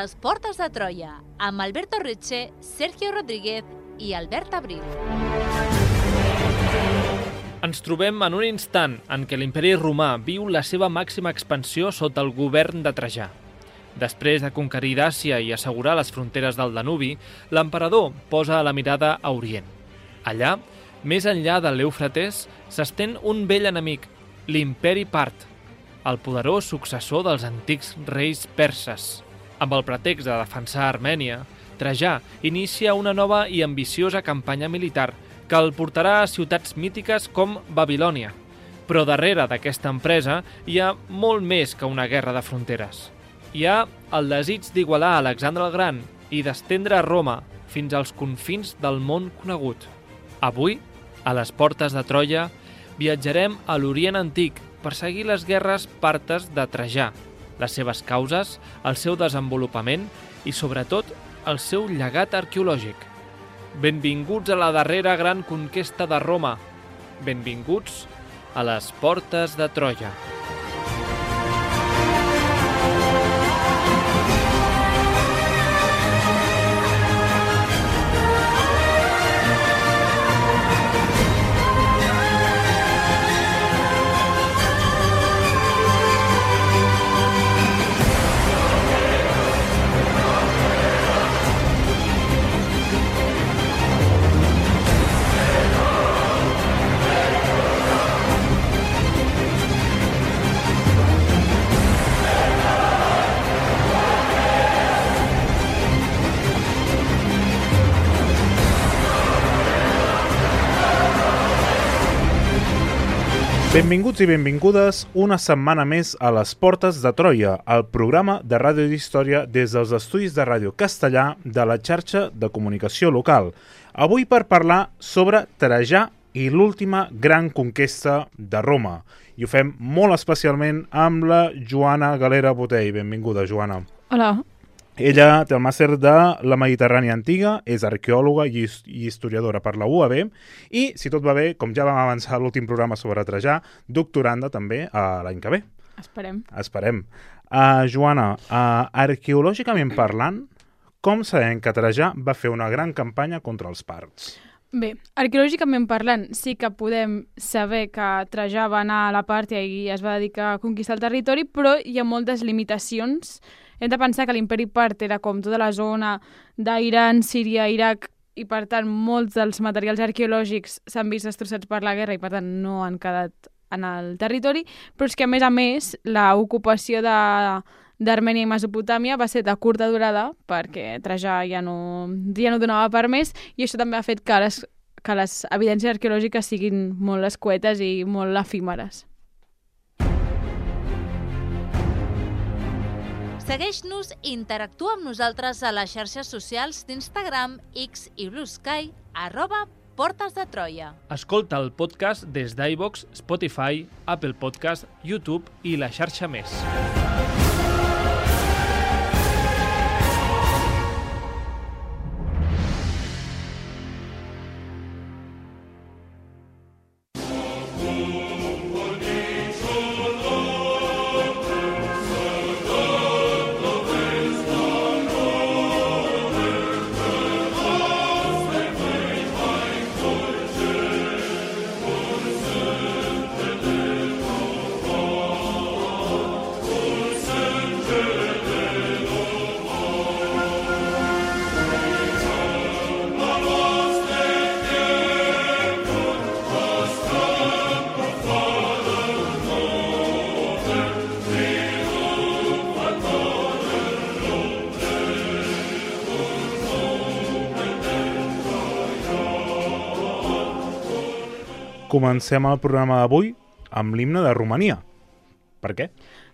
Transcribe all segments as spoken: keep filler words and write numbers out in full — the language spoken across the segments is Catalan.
les portes de Troia, amb Alberto Reche, Sergio Rodríguez i Albert Abril. Ens trobem en un instant en què l'imperi romà viu la seva màxima expansió sota el govern de Trajà. Després de conquerir Dàcia i assegurar les fronteres del Danubi, l'emperador posa la mirada a Orient. Allà, més enllà de l'Eufrates, s'estén un vell enemic, l'imperi part, el poderós successor dels antics reis perses. Amb el pretext de defensar Armènia, Trajà inicia una nova i ambiciosa campanya militar que el portarà a ciutats mítiques com Babilònia. Però darrere d'aquesta empresa hi ha molt més que una guerra de fronteres. Hi ha el desig d'igualar Alexandre el Gran i d'estendre Roma fins als confins del món conegut. Avui, a les portes de Troia, viatjarem a l'Orient Antic per seguir les guerres partes de Trajà, les seves causes, el seu desenvolupament i, sobretot, el seu llegat arqueològic. Benvinguts a la darrera gran conquesta de Roma. Benvinguts a les portes de Troia. Benvinguts i benvingudes una setmana més a les Portes de Troia, el programa de ràdio d'història des dels estudis de ràdio castellà de la xarxa de comunicació local. Avui per parlar sobre Trajà i l'última gran conquesta de Roma. I ho fem molt especialment amb la Joana Galera Botell. Benvinguda, Joana. Hola. Ella té el màster de la Mediterrània Antiga, és arqueòloga i historiadora per la U A B i, si tot va bé, com ja vam avançar a l'últim programa sobre Trajà, doctoranda també a l'any que ve. Esperem. Esperem. Uh, Joana, uh, arqueològicament parlant, com sabem que Trajà va fer una gran campanya contra els parts? Bé, arqueològicament parlant, sí que podem saber que Trajà va anar a la Pàrtia i es va dedicar a conquistar el territori, però hi ha moltes limitacions. Hem de pensar que l'imperi part era com tota la zona d'Iran, Síria, Iraq, i per tant molts dels materials arqueològics s'han vist destrossats per la guerra i per tant no han quedat en el territori, però és que a més a més l'ocupació de d'Armènia i Mesopotàmia va ser de curta durada perquè Trajà ja no, ja no donava per més i això també ha fet que les, que les evidències arqueològiques siguin molt escuetes i molt efímeres. Segueix-nos i interactua amb nosaltres a les xarxes socials d'Instagram, X i Blue Sky, arroba Portes de Troia. Escolta el podcast des d'iVoox, Spotify, Apple Podcast, YouTube i la xarxa més. Comencem el programa d'avui amb l'himne de Romania. Per què?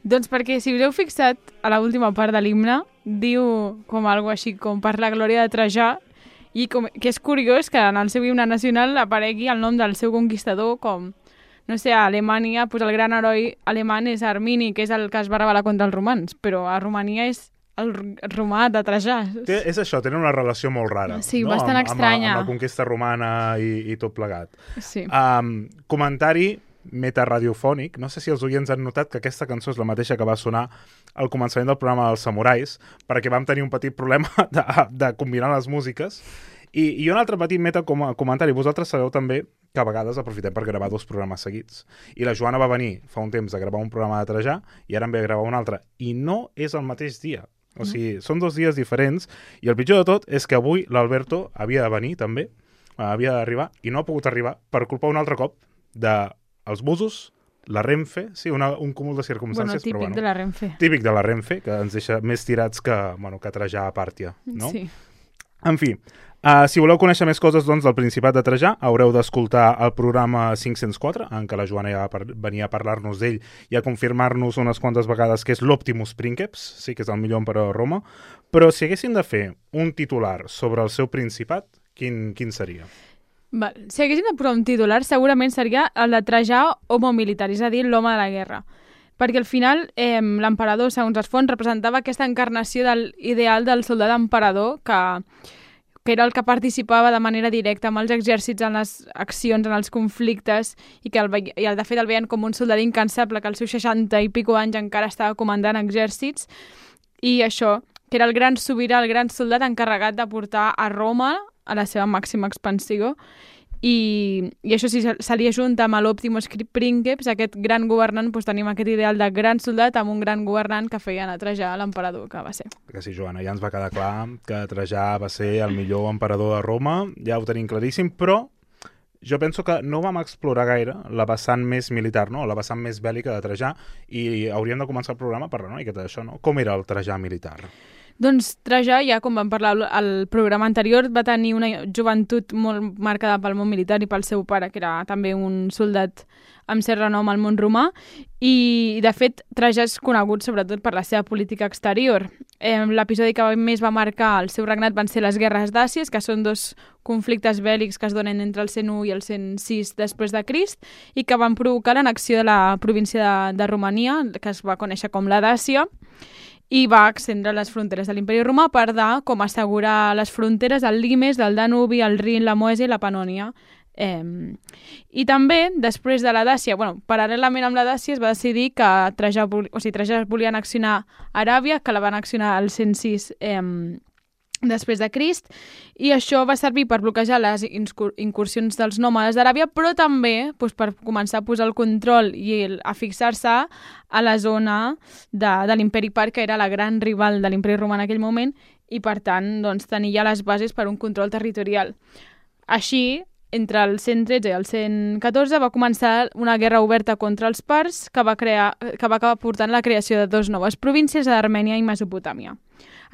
Doncs perquè, si us heu fixat, a l'última part de l'himne diu com algo així com per la glòria de Trajà i com, que és curiós que en el seu himne nacional aparegui el nom del seu conquistador com, no sé, a Alemanya, doncs el gran heroi alemany és Armini, que és el que es va rebel·lar contra els romans, però a Romania és el romà de Trajà. Té, és això, tenen una relació molt rara. Sí, no? bastant amb, estranya. Amb la, amb la conquesta romana i, i tot plegat. Sí. Um, comentari metaradiofònic. No sé si els oients han notat que aquesta cançó és la mateixa que va sonar al començament del programa dels Samurais, perquè vam tenir un petit problema de, de combinar les músiques. I, i un altre petit metacomentari. Vosaltres sabeu també que a vegades aprofitem per gravar dos programes seguits. I la Joana va venir fa un temps a gravar un programa de Trajà i ara en ve a gravar un altre. I no és el mateix dia. O sigui, mm. són dos dies diferents i el pitjor de tot és que avui l'Alberto havia de venir també, havia d'arribar i no ha pogut arribar per culpa un altre cop dels busos, la Renfe, sí, una, un cúmul de circumstàncies. Bueno, típic però, bueno, de la Renfe. Típic de la Renfe, que ens deixa més tirats que, bueno, que Trajà a Pàrtia, no? Sí. En fi, uh, si voleu conèixer més coses doncs, del Principat de Trajà, haureu d'escoltar el programa cinc-cents quatre, en què la Joana ja per, venia a parlar-nos d'ell i a confirmar-nos unes quantes vegades que és l'Optimus Princeps, sí que és el millor emperador de Roma, però si haguessin de fer un titular sobre el seu Principat, quin, quin seria? Val. Si haguessin de posar un titular, segurament seria el de Trajà homo militar, és a dir, l'home de la guerra. Perquè al final eh, l'emperador, segons les fonts, representava aquesta encarnació del ideal del soldat emperador que, que era el que participava de manera directa amb els exèrcits en les accions, en els conflictes, i que el, i el, de fet el veien com un soldat incansable que als seus seixanta i pico anys encara estava comandant exèrcits, i això, que era el gran sobirà, el gran soldat encarregat de portar a Roma a la seva màxima expansió. I, i això sí, se li ajunta amb l'Optimus Princeps, aquest gran governant, doncs tenim aquest ideal de gran soldat amb un gran governant que feien a Trajà l'emperador que va ser. Que sí, Joana, ja ens va quedar clar que Trajà va ser el millor emperador de Roma, ja ho tenim claríssim, però jo penso que no vam explorar gaire la vessant més militar, no? La vessant més bèl·lica de Trajà, i hauríem de començar el programa parlant una miqueta d'això, no? Com era el Trajà militar? Doncs Trajà, ja com vam parlar al programa anterior, va tenir una joventut molt marcada pel món militar i pel seu pare, que era també un soldat amb cert renom al món romà, i de fet Trajà és conegut sobretot per la seva política exterior. Eh, L'episodi que més va marcar el seu regnat van ser les guerres d'Àcies, que són dos conflictes bèl·lics que es donen entre el cent u i el cent sis després de Crist, i que van provocar l'annexió de la província de, de Romania, que es va conèixer com la Dàcia, i va extendre les fronteres de l'imperi romà per dar com assegurar les fronteres del Limes, del Danubi, el Rin, la Moesia i la Panònia. Eh, I també, després de la Dàcia, bueno, paral·lelament amb la Dàcia es va decidir que Trajà, o sigui, Trajà volia annexionar Aràbia, que la va annexionar al cent sis eh, després de Crist, i això va servir per bloquejar les incursions dels nòmades d'Aràbia, però també doncs, per començar a posar el control i el, a fixar-se a la zona de, de l'imperi Part, que era la gran rival de l'imperi romà en aquell moment, i per tant doncs, tenir ja les bases per un control territorial. Així, entre el cent tretze i el cent catorze va començar una guerra oberta contra els parts que va, crear, que va acabar portant la creació de dues noves províncies, d'Armènia i Mesopotàmia,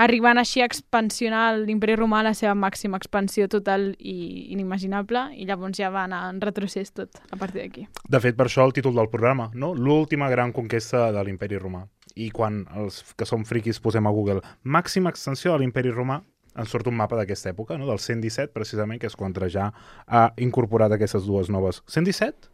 arribant així a expansionar l'imperi romà a la seva màxima expansió total i inimaginable, i llavors ja va anar en retrocés tot a partir d'aquí. De fet, per això el títol del programa, no? L'última gran conquesta de l'imperi romà. I quan els que som friquis posem a Google màxima extensió de l'imperi romà, ens surt un mapa d'aquesta època, no? Del cent disset, precisament, que és quan Trajà ha incorporat aquestes dues noves... cent disset?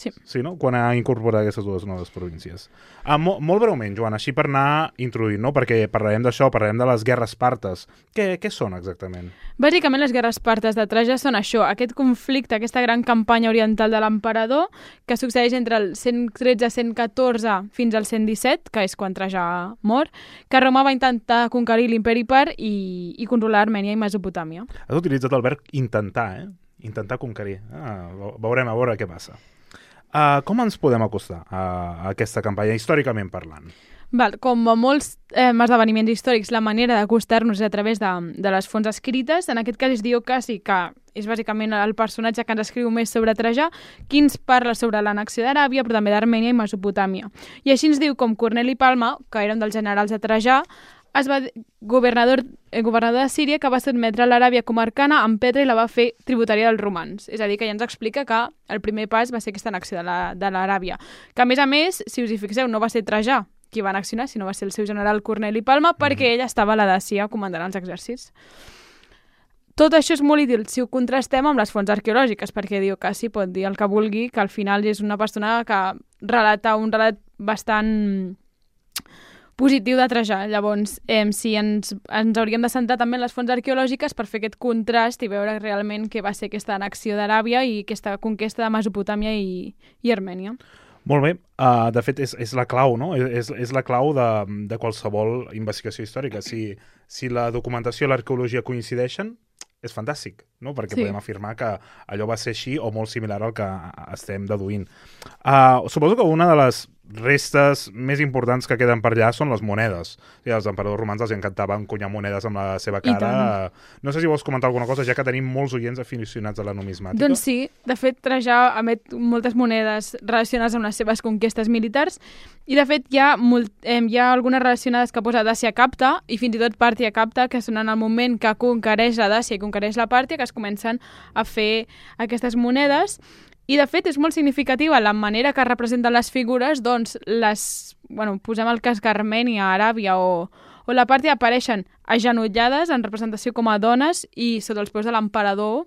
Sí. Sí, no? Quan ha incorporat aquestes dues noves províncies. Ah, mo molt breument, Joan, així per anar introduint, no? Perquè parlarem d'això, parlarem de les guerres partes. Què, què són exactament? Bàsicament les guerres partes de Trajà són això, aquest conflicte, aquesta gran campanya oriental de l'emperador que succeeix entre el cent tretze a cent catorze fins al cent disset, que és quan Trajà mor, que Roma va intentar conquerir l'imperi Part i, i controlar Armènia i Mesopotàmia. Has utilitzat el verb intentar, eh? Intentar conquerir. Ah, veurem a veure què passa. Uh, com ens podem acostar a, a aquesta campanya, històricament parlant? Val, com a molts eh, esdeveniments històrics, la manera d'acostar-nos és a través de, de les fonts escrites. En aquest cas és Diocasi, que és bàsicament el personatge que ens escriu més sobre Trajà, qui ens parla sobre l'annexió d'Aràbia, però també d'Armènia i Mesopotàmia. I així ens diu com Corneli Palma, que era un dels generals de Trajà, es va governador, eh, governador de Síria, que va sotmetre l'Aràbia comarcana amb Petra i la va fer tributària dels romans. És a dir, que ja ens explica que el primer pas va ser aquesta annexió de l'Aràbia. Que, a més a més, si us hi fixeu, no va ser Trajà qui va annexionar, sinó va ser el seu general Corneli Palma, perquè ell estava a la Dàcia comandant els exèrcits. Tot això és molt útil si ho contrastem amb les fonts arqueològiques, perquè Diocasi pot dir el que vulgui, que al final és una persona que relata un relat bastant positiu de Trajà. Llavors, eh, si ens, ens hauríem de centrar també en les fonts arqueològiques per fer aquest contrast i veure realment què va ser aquesta annexió d'Aràbia i aquesta conquesta de Mesopotàmia i, i Armènia. Molt bé. Uh, de fet, és, és la clau, no? És, és la clau de, de qualsevol investigació històrica. Si, si la documentació i l'arqueologia coincideixen, és fantàstic, no? Perquè sí. Podem afirmar que allò va ser així o molt similar al que estem deduint. Uh, suposo que una de les restes més importants que queden per allà són les monedes. I als emperadors romans els encantava encunyar monedes amb la seva cara. No sé si vols comentar alguna cosa, ja que tenim molts oients aficionats a la numismàtica. Doncs sí, de fet Trajà emet moltes monedes relacionades amb les seves conquestes militars i de fet hi ha, molt, eh, hi ha algunes relacionades que posa Dàcia Capta i fins i tot Pàrtia Capta, que són en el moment que conquereix la Dàcia i conquereix la Pàrtia, que es comencen a fer aquestes monedes. I, de fet, és molt significativa la manera que representen les figures, doncs, les, bueno, posem el cas que Armènia, Aràbia o, o la Pàrtia apareixen agenollades en representació com a dones i sota els peus de l'emperador,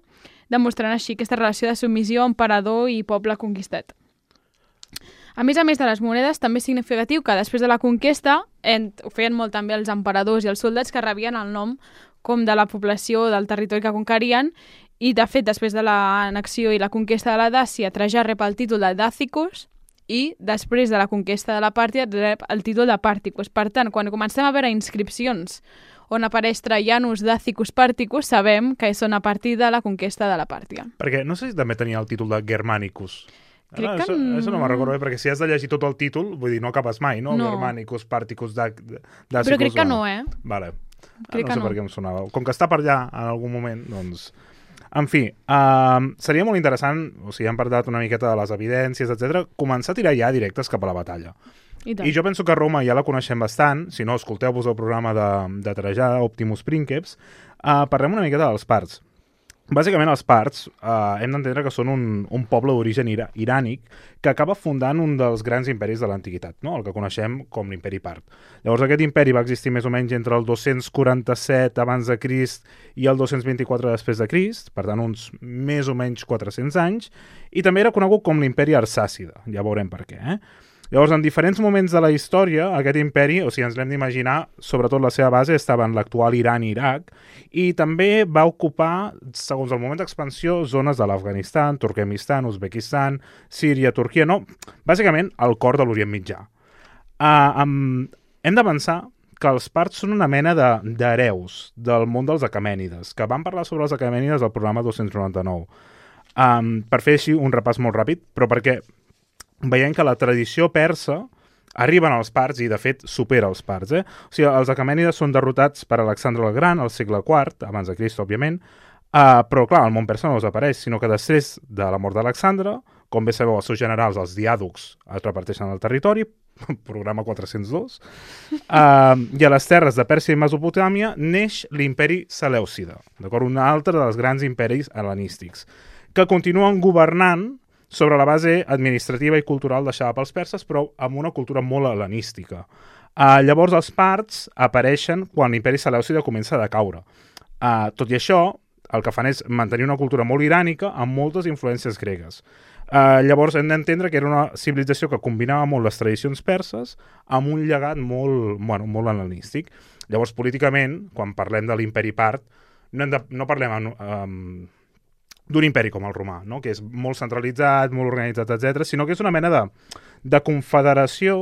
demostrant així aquesta relació de submissió emperador i poble conquistat. A més a més de les monedes, també és significatiu que després de la conquesta, en, ho feien molt també els emperadors i els soldats que rebien el nom com de la població del territori que conquerien. I, de fet, després de l'annexió i la conquesta de la Dàcia, Trajà rep el títol de Dàcicus i, després de la conquesta de la Pàrtia, rep el títol de Pàrticus. Per tant, quan comencem a veure inscripcions on apareix Traianus Dàcicus Pàrticus, sabem que són a partir de la conquesta de la Pàrtia. Perquè no sé si també tenia el títol de Germanicus. Crec Ara, que... Això, això no me'n recordo bé, perquè si has de llegir tot el títol, vull dir, no acabes mai, no? No. Germanicus, Pàrticus, Dàcicus... Però crec que no, eh? Vale. Crec no sé que no. per què em sonava. Com que està per allà en algun moment, doncs... En fi, uh, seria molt interessant, o sigui, hem parlat una miqueta de les evidències, etcètera, començar a tirar ja directes cap a la batalla. I, I jo penso que Roma ja la coneixem bastant, si no, escolteu-vos el programa de, de Trajà, Optimus Princeps, uh, parlem una miqueta dels parts. Bàsicament, els parts eh, hem d'entendre que són un, un poble d'origen ira, irànic que acaba fundant un dels grans imperis de l'antiguitat, no? El que coneixem com l'imperi part. Llavors, aquest imperi va existir més o menys entre el dos-cents quaranta-set abans de Crist i el dos-cents vint-i-quatre després de Crist, per tant, uns més o menys quatre-cents anys, i també era conegut com l'imperi arsàcida, ja veurem per què, eh? Llavors, en diferents moments de la història, aquest imperi, o sigui, ens l'hem d'imaginar, sobretot la seva base estava en l'actual Iran i Iraq, i també va ocupar, segons el moment d'expansió, zones de l'Afganistan, Turkmenistan, Uzbekistan, Síria, Turquia, no, bàsicament el cor de l'Orient Mitjà. Uh, um, hem de pensar que els parts són una mena d'hereus de, del món dels aquemènides, que vam parlar sobre els aquemènides al programa dos-cents noranta-nou. Um, per fer així un repàs molt ràpid, però perquè veiem que la tradició persa arriben als parts i, de fet, supera els parts. Eh? O sigui, els aquemènides són derrotats per Alexandre el Gran al segle quart, abans de Crist, òbviament, uh, però, clar, el món persa no desapareix, sinó que després de la mort d'Alexandre, com bé sabeu, els seus generals, els diàdocs, es reparteixen el territori, programa quatre-cents dos, uh, i a les terres de Pèrsia i Mesopotàmia neix l'imperi Selèucida, d'acord? Un altre dels grans imperis hel·lenístics, que continuen governant sobre la base administrativa i cultural deixada pels perses, però amb una cultura molt hel·lenística. Uh, llavors, els parts apareixen quan l'imperi Selèucida comença a decaure. Uh, tot i això, el que fan és mantenir una cultura molt irànica amb moltes influències gregues. Uh, llavors, hem d'entendre que era una civilització que combinava molt les tradicions perses amb un llegat molt, bueno, molt hel·lenístic. Llavors, políticament, quan parlem de l'imperi part, no, hem de, no parlem amb... Um, d'un imperi com el romà, no? Que és molt centralitzat, molt organitzat, etcètera, sinó que és una mena de, de confederació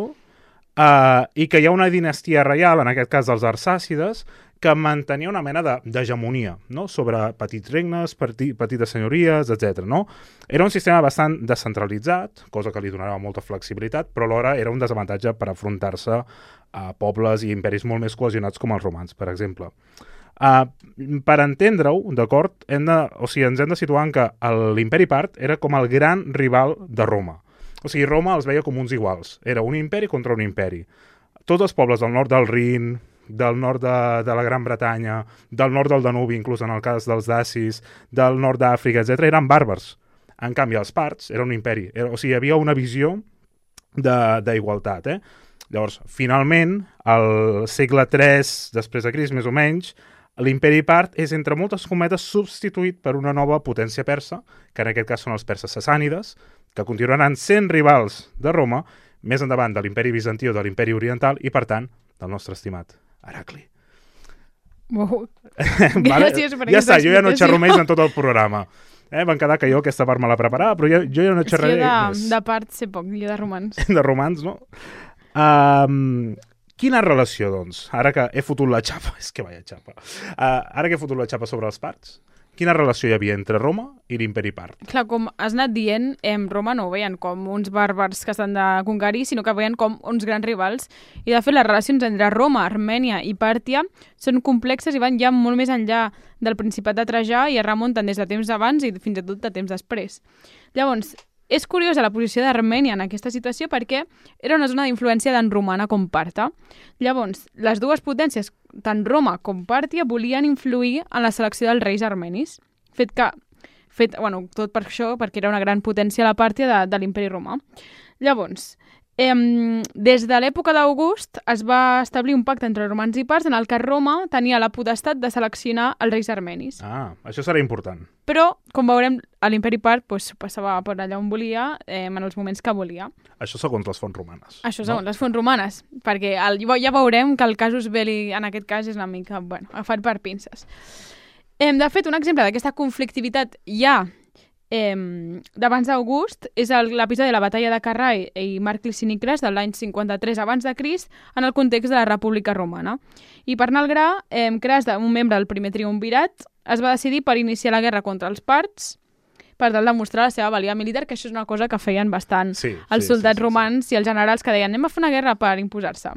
eh, i que hi ha una dinastia reial, en aquest cas dels arsàcides, que mantenia una mena d'hegemonia, no? Sobre petits regnes, peti, petites senyories, etcètera. No? Era un sistema bastant descentralitzat, cosa que li donava molta flexibilitat, però alhora era un desavantatge per afrontar-se a pobles i imperis molt més cohesionats com els romans, per exemple. Uh, per entendre-ho, d'acord, hem de, o sigui, ens hem de situar en que l'imperi part era com el gran rival de Roma. O sigui, Roma els veia com uns iguals. Era un imperi contra un imperi. Tots els pobles del nord del Rin, del nord de, de la Gran Bretanya, del nord del Danubi, inclús en el cas dels dacis, del nord d'Àfrica, etcètera, eren bàrbars. En canvi, els parts era un imperi. Era, o sigui, hi havia una visió d'igualtat, eh? Llavors, finalment, al segle tres després de Crist, més o menys, l'imperi part és, entre moltes cometes, substituït per una nova potència persa, que en aquest cas són els perses sassànides, que continuaran sent rivals de Roma, més endavant de l'imperi bizantí o de l'imperi oriental, i, per tant, del nostre estimat Heracli. Wow. Vale? Gràcies per ja aquesta està, jo ja no explicació. xerro més en tot el programa. Eh? Van quedar que jo aquesta part me la preparava, però jo, jo ja no És que xerraré jo de, més. de part sé poc, jo de romans. De romans, no? Um, quina relació, doncs? Ara que he fotut la xapa, és que vaya xapa. Uh, ara que he fotut la xapa sobre els parts, quina relació hi havia entre Roma i l'imperi part? Clar, com has anat dient, em Roma no ho veien com uns bàrbars que s'han de conquerir, sinó que veien com uns grans rivals. I, de fet, les relacions entre Roma, Armènia i Pàrtia són complexes i van ja molt més enllà del Principat de Trajà i es remunten des de temps abans i fins i tot de temps després. Llavors, és curiosa la posició d'Armènia en aquesta situació perquè era una zona d'influència tant romana com parta. Llavors, les dues potències, tant Roma com Pàrtia, volien influir en la selecció dels reis armenis. Fet que, fet, bueno, tot per això, perquè era una gran potència la Pàrtia de, de l'imperi romà. Llavors, eh, des de l'època d'August es va establir un pacte entre romans i parts en el que Roma tenia la potestat de seleccionar els reis armenis. Ah, això serà important. Però, com veurem, a l'imperi part pues, passava per allà on volia, eh, en els moments que volia. Això segons les fonts romanes. Això segons no? les fonts romanes, perquè el, ja veurem que el casus belli en aquest cas és una mica, bueno, agafat per pinces. Eh, de fet, un exemple d'aquesta conflictivitat ja eh, d'abans d'August és l'episodi de la batalla de Carrai i Marc Licini Cras de l'any cinquanta-tres abans de Crist en el context de la República Romana. I per anar al gra, eh, Cras, un membre del primer triumvirat, es va decidir per iniciar la guerra contra els parts per tal de mostrar la seva valia militar, que això és una cosa que feien bastant sí, els sí, soldats sí, sí, romans sí. i els generals que deien anem a fer una guerra per imposar-se.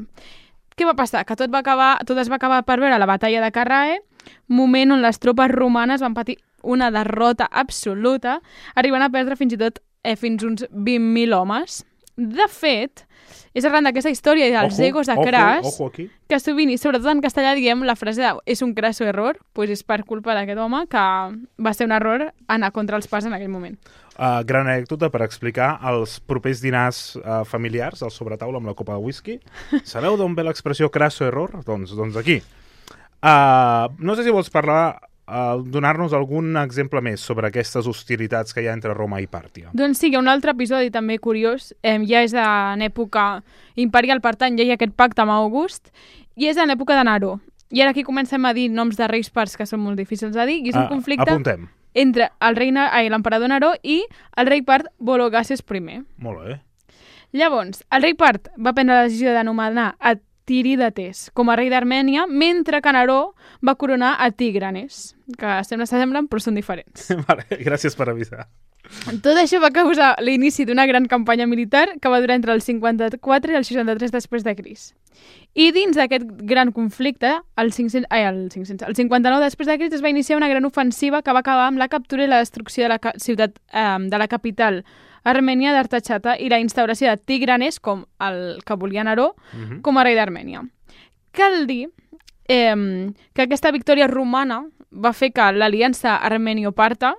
Què va passar? Que tot, va acabar, tot es va acabar per veure la batalla de Carrae, moment on les tropes romanes van patir una derrota absoluta, arribant a perdre fins i tot eh, fins uns vint mil homes. De fet, és arran d'aquesta història dels ojo, egos de ojo, Cras ojo aquí. que sovint, i sobretot en castellà, diem la frase de és un crasso error, doncs és per culpa d'aquest home que va ser un error anar contra els parts en aquell moment. Uh, gran anècdota per explicar els propers dinars uh, familiars al sobretaula amb la copa de whisky. Sabeu d'on ve l'expressió crasso error? Doncs, doncs aquí. Uh, no sé si vols parlar, uh, donar-nos algun exemple més sobre aquestes hostilitats que hi ha entre Roma i Pàrtia. Doncs sí, hi ha un altre episodi també curiós, eh, ja és en època imperial, per tant, ja hi ha aquest pacte amb August, i és en l'època de Neró. I ara aquí comencem a dir noms de reis parts que són molt difícils de dir, i és un uh, conflicte apuntem. entre el rei, ai, l'emperador Neró i el rei part Vologases primer. Molt bé. Llavors, el rei part va prendre la decisió de nomenar a Tiridates com a rei d'Armènia, mentre que Neró va coronar a Tigranes, que sembla que semblen però són diferents. Vale, gràcies per avisar. Tot això va causar l'inici d'una gran campanya militar que va durar entre el cinquanta-quatre i el seixanta-tres després de Crist. I dins d'aquest gran conflicte, el, cinc cents, ai, el, cinc cents, el cinquanta-nou després de Crist es va iniciar una gran ofensiva que va acabar amb la captura i la destrucció de la ciutat eh, de la capital Armènia d'Artachata i la instauració de Tigranes, com el que volia Neró, uh-huh. com a rei d'Armènia. Cal dir eh, que aquesta victòria romana va fer que l'aliança armenio-parta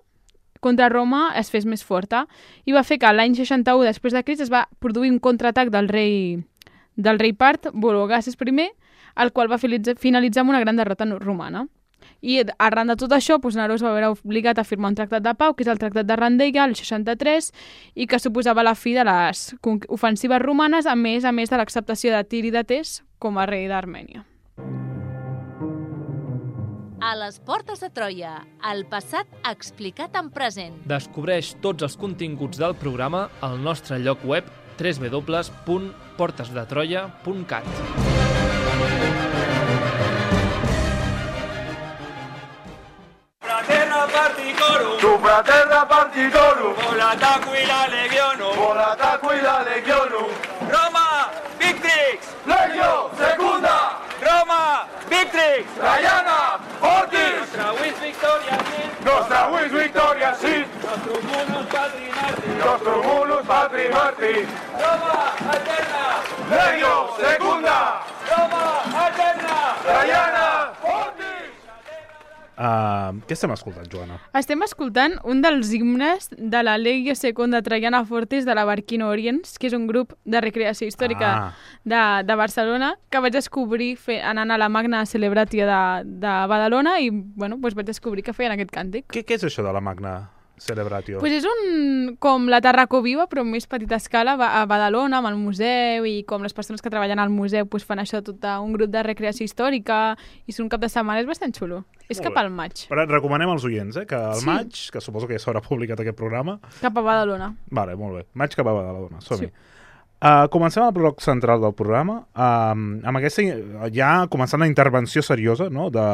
contra Roma es fes més forta i va fer que l'any seixanta-u després de Crist es va produir un contraatac del rei, del rei part, Vologases primer, el qual va finalitzar amb una gran derrota romana. I arran de tot això, doncs, Neró es va veure obligat a firmar un tractat de pau, que és el tractat de Randeia, el seixanta-tres, i que suposava la fi de les ofensives romanes, a més a més de l'acceptació de Tiridates com a rei d'Armènia. A les portes de Troia, el passat explicat en present. Descobreix tots els continguts del programa al nostre lloc web w w w punt portes de troia punt cat. Tu fraterna partitorum, volataque la legionum, volataque la legionum. Roma victrix, Legio secunda, Roma victrix, Traiana fortis. Nostra vis victoria sit, nostra vis victoria sit, nostrum munus patri martis, nostrum munus patri martis. Roma eterna, Legio secunda, Roma eterna, Traiana fortis. Uh, què estem escoltant, Joana? Estem escoltant un dels himnes de la Legio Secunda Traiana Fortis de la Barquino Oriens, que és un grup de recreació històrica ah. de, de Barcelona, que vaig descobrir fe, anant a la Magna Celebratia de, de Badalona i bueno, doncs vaig descobrir que feien aquest càntic. Què, què és això de la Magna Celebratio? Pues és un, com la Tarraco Viva, però més petita escala, a Badalona, amb el museu, i com les persones que treballen al museu pues, fan això tot un grup de recreació històrica, i és un cap de setmana, és bastant xulo. És cap al maig. Però recomanem als oients, eh, que al Sí. maig, que suposo que ja s'haurà publicat aquest programa... Cap a Badalona. Vale, molt bé. Maig cap a Badalona, som-hi. Sí. Uh, comencem el bloc central del programa, uh, amb aquesta, ja començant la intervenció seriosa, no?, de,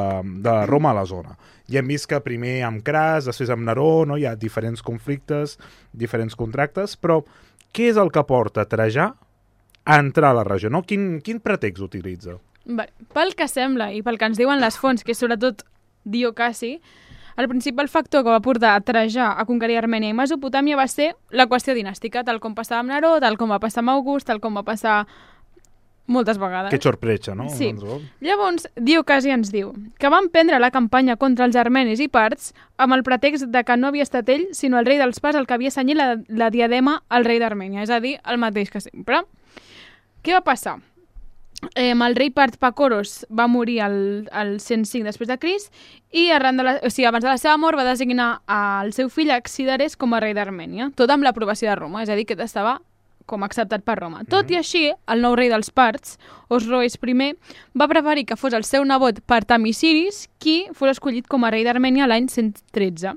de Roma a la zona. Ja hem vist que primer amb Cras, després amb Neró, no?, hi ha diferents conflictes, diferents contractes, però què és el que porta Trajà a entrar a la regió, no? Quin, quin pretext utilitza? Bé, pel que sembla i pel que ens diuen les fonts, que és sobretot Diocaci, el principal factor que va portar a Trajà a conquerir Armènia i Mesopotàmia va ser la qüestió dinàstica, tal com passava amb Neró, tal com va passar amb August, tal com va passar moltes vegades. Que sorpresa, no? Sí. Llavors, Diocaci ens diu que van prendre la campanya contra els armenis i parts amb el pretext de que no havia estat ell, sinó el rei dels parts el que havia senyit la, la diadema al rei d'Armènia, és a dir, el mateix que sempre. Què va passar? Eh, el rei part Pacoros va morir al, al cent cinc després de Crist i arran de la, o sigui, abans de la seva mort va designar el seu fill Axidares com a rei d'Armènia, tot amb l'aprovació de Roma, és a dir, que estava com acceptat per Roma. Tot i així, el nou rei dels parts, Osroes I, va preferir que fos el seu nebot Partamisiris qui fos escollit com a rei d'Armènia l'any cent tretze.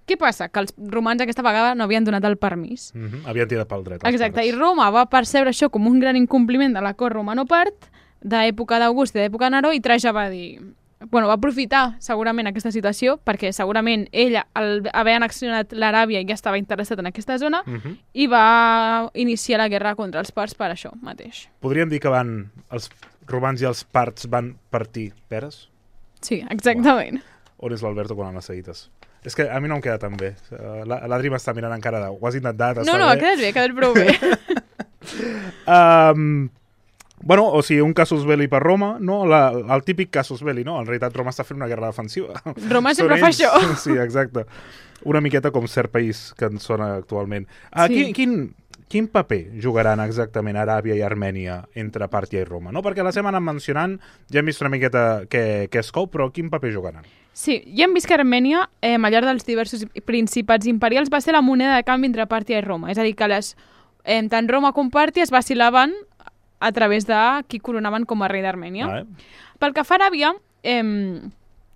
Què passa? Que els romans aquesta vegada no havien donat el permís. Mm-hmm. Havien tirat pel dret. Exacte, i Roma va percebre això com un gran incompliment de l'acord romano-part d'època d'August i d'època de Neró, i Trajà va dir... Bueno, va aprofitar segurament aquesta situació perquè segurament ell, al haver annexionat l'Aràbia, ja estava interessat en aquesta zona, Mm-hmm. i va iniciar la guerra contra els parts per això mateix. Podríem dir que van els romans i els parts van partir peres? Sí, exactament. On és l'Alberto quan les seguites? És que a mi no em queda tan bé. L'Adri m'està mirant encara de... Ho has intentat, No, no, ha quedat bé, ha quedat prou bé. um, bueno, o sigui, un casus belli per Roma, no? La, el típic casus belli, no? En realitat Roma està fent una guerra defensiva. Roma Són sempre fa ells. això. Sí, exacte. Una miqueta com cert país que ens sona actualment. Uh, Sí. quin, quin, quin paper jugaran exactament Aràbia i Armènia entre Pàrtia i Roma? No? Perquè la hem anat mencionant, ja hem vist una miqueta què, què es cou, però quin paper jugaran? Sí, ja hem vist que Armènia, eh, al llarg dels diversos principats imperials, va ser la moneda de canvi entre Pàrtia i Roma. És a dir, que les, eh, tant Roma com Pàrtia es vacilaven a través de qui coronaven com a rei d'Armènia. Ah, eh? Pel que fa a Aràbia, eh,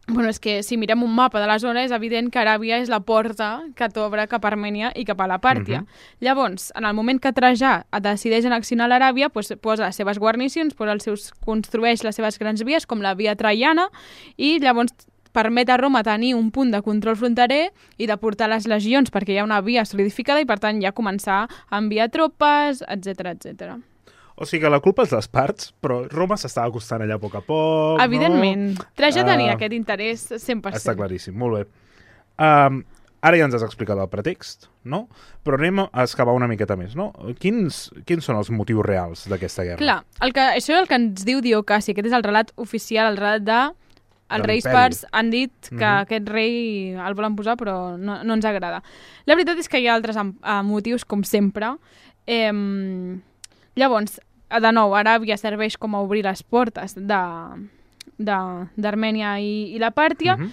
bueno, és que si mirem un mapa de la zona és evident que Aràbia és la porta que t'obre cap a Armènia i cap a la Pàrtia. Mhm. Llavors, en el moment que Trajà decideix annexionar l'Aràbia, doncs posa les seves guarnicions, posa els seus, construeix les seves grans vies, com la via traiana, i llavors permet a Roma tenir un punt de control fronterer i de portar les legions perquè hi ha una via solidificada i, per tant, ja començar a enviar tropes, etcètera, etcètera. O sigui que la culpa és dels parts, però Roma s'estava acostant allà a poc a poc, Evidentment. no? Trajà tenia Ah, aquest interès cent per cent. Està claríssim, molt bé. Um, ara ja ens has explicat el pretext, no? Però anem a excavar una miqueta més, no? Quins, quins són els motius reals d'aquesta guerra? Clar, el que, això és el que ens diu Diocaci, aquest és el relat oficial, el relat de... Els De reis l'imperi. parts han dit que Mhm. aquest rei el volen posar, però no, no ens agrada. La veritat és que hi ha altres am- eh, motius, com sempre. Eh, llavors, de nou, Aràbia serveix com a obrir les portes d'Armènia i, i la Pàrtia, Mhm.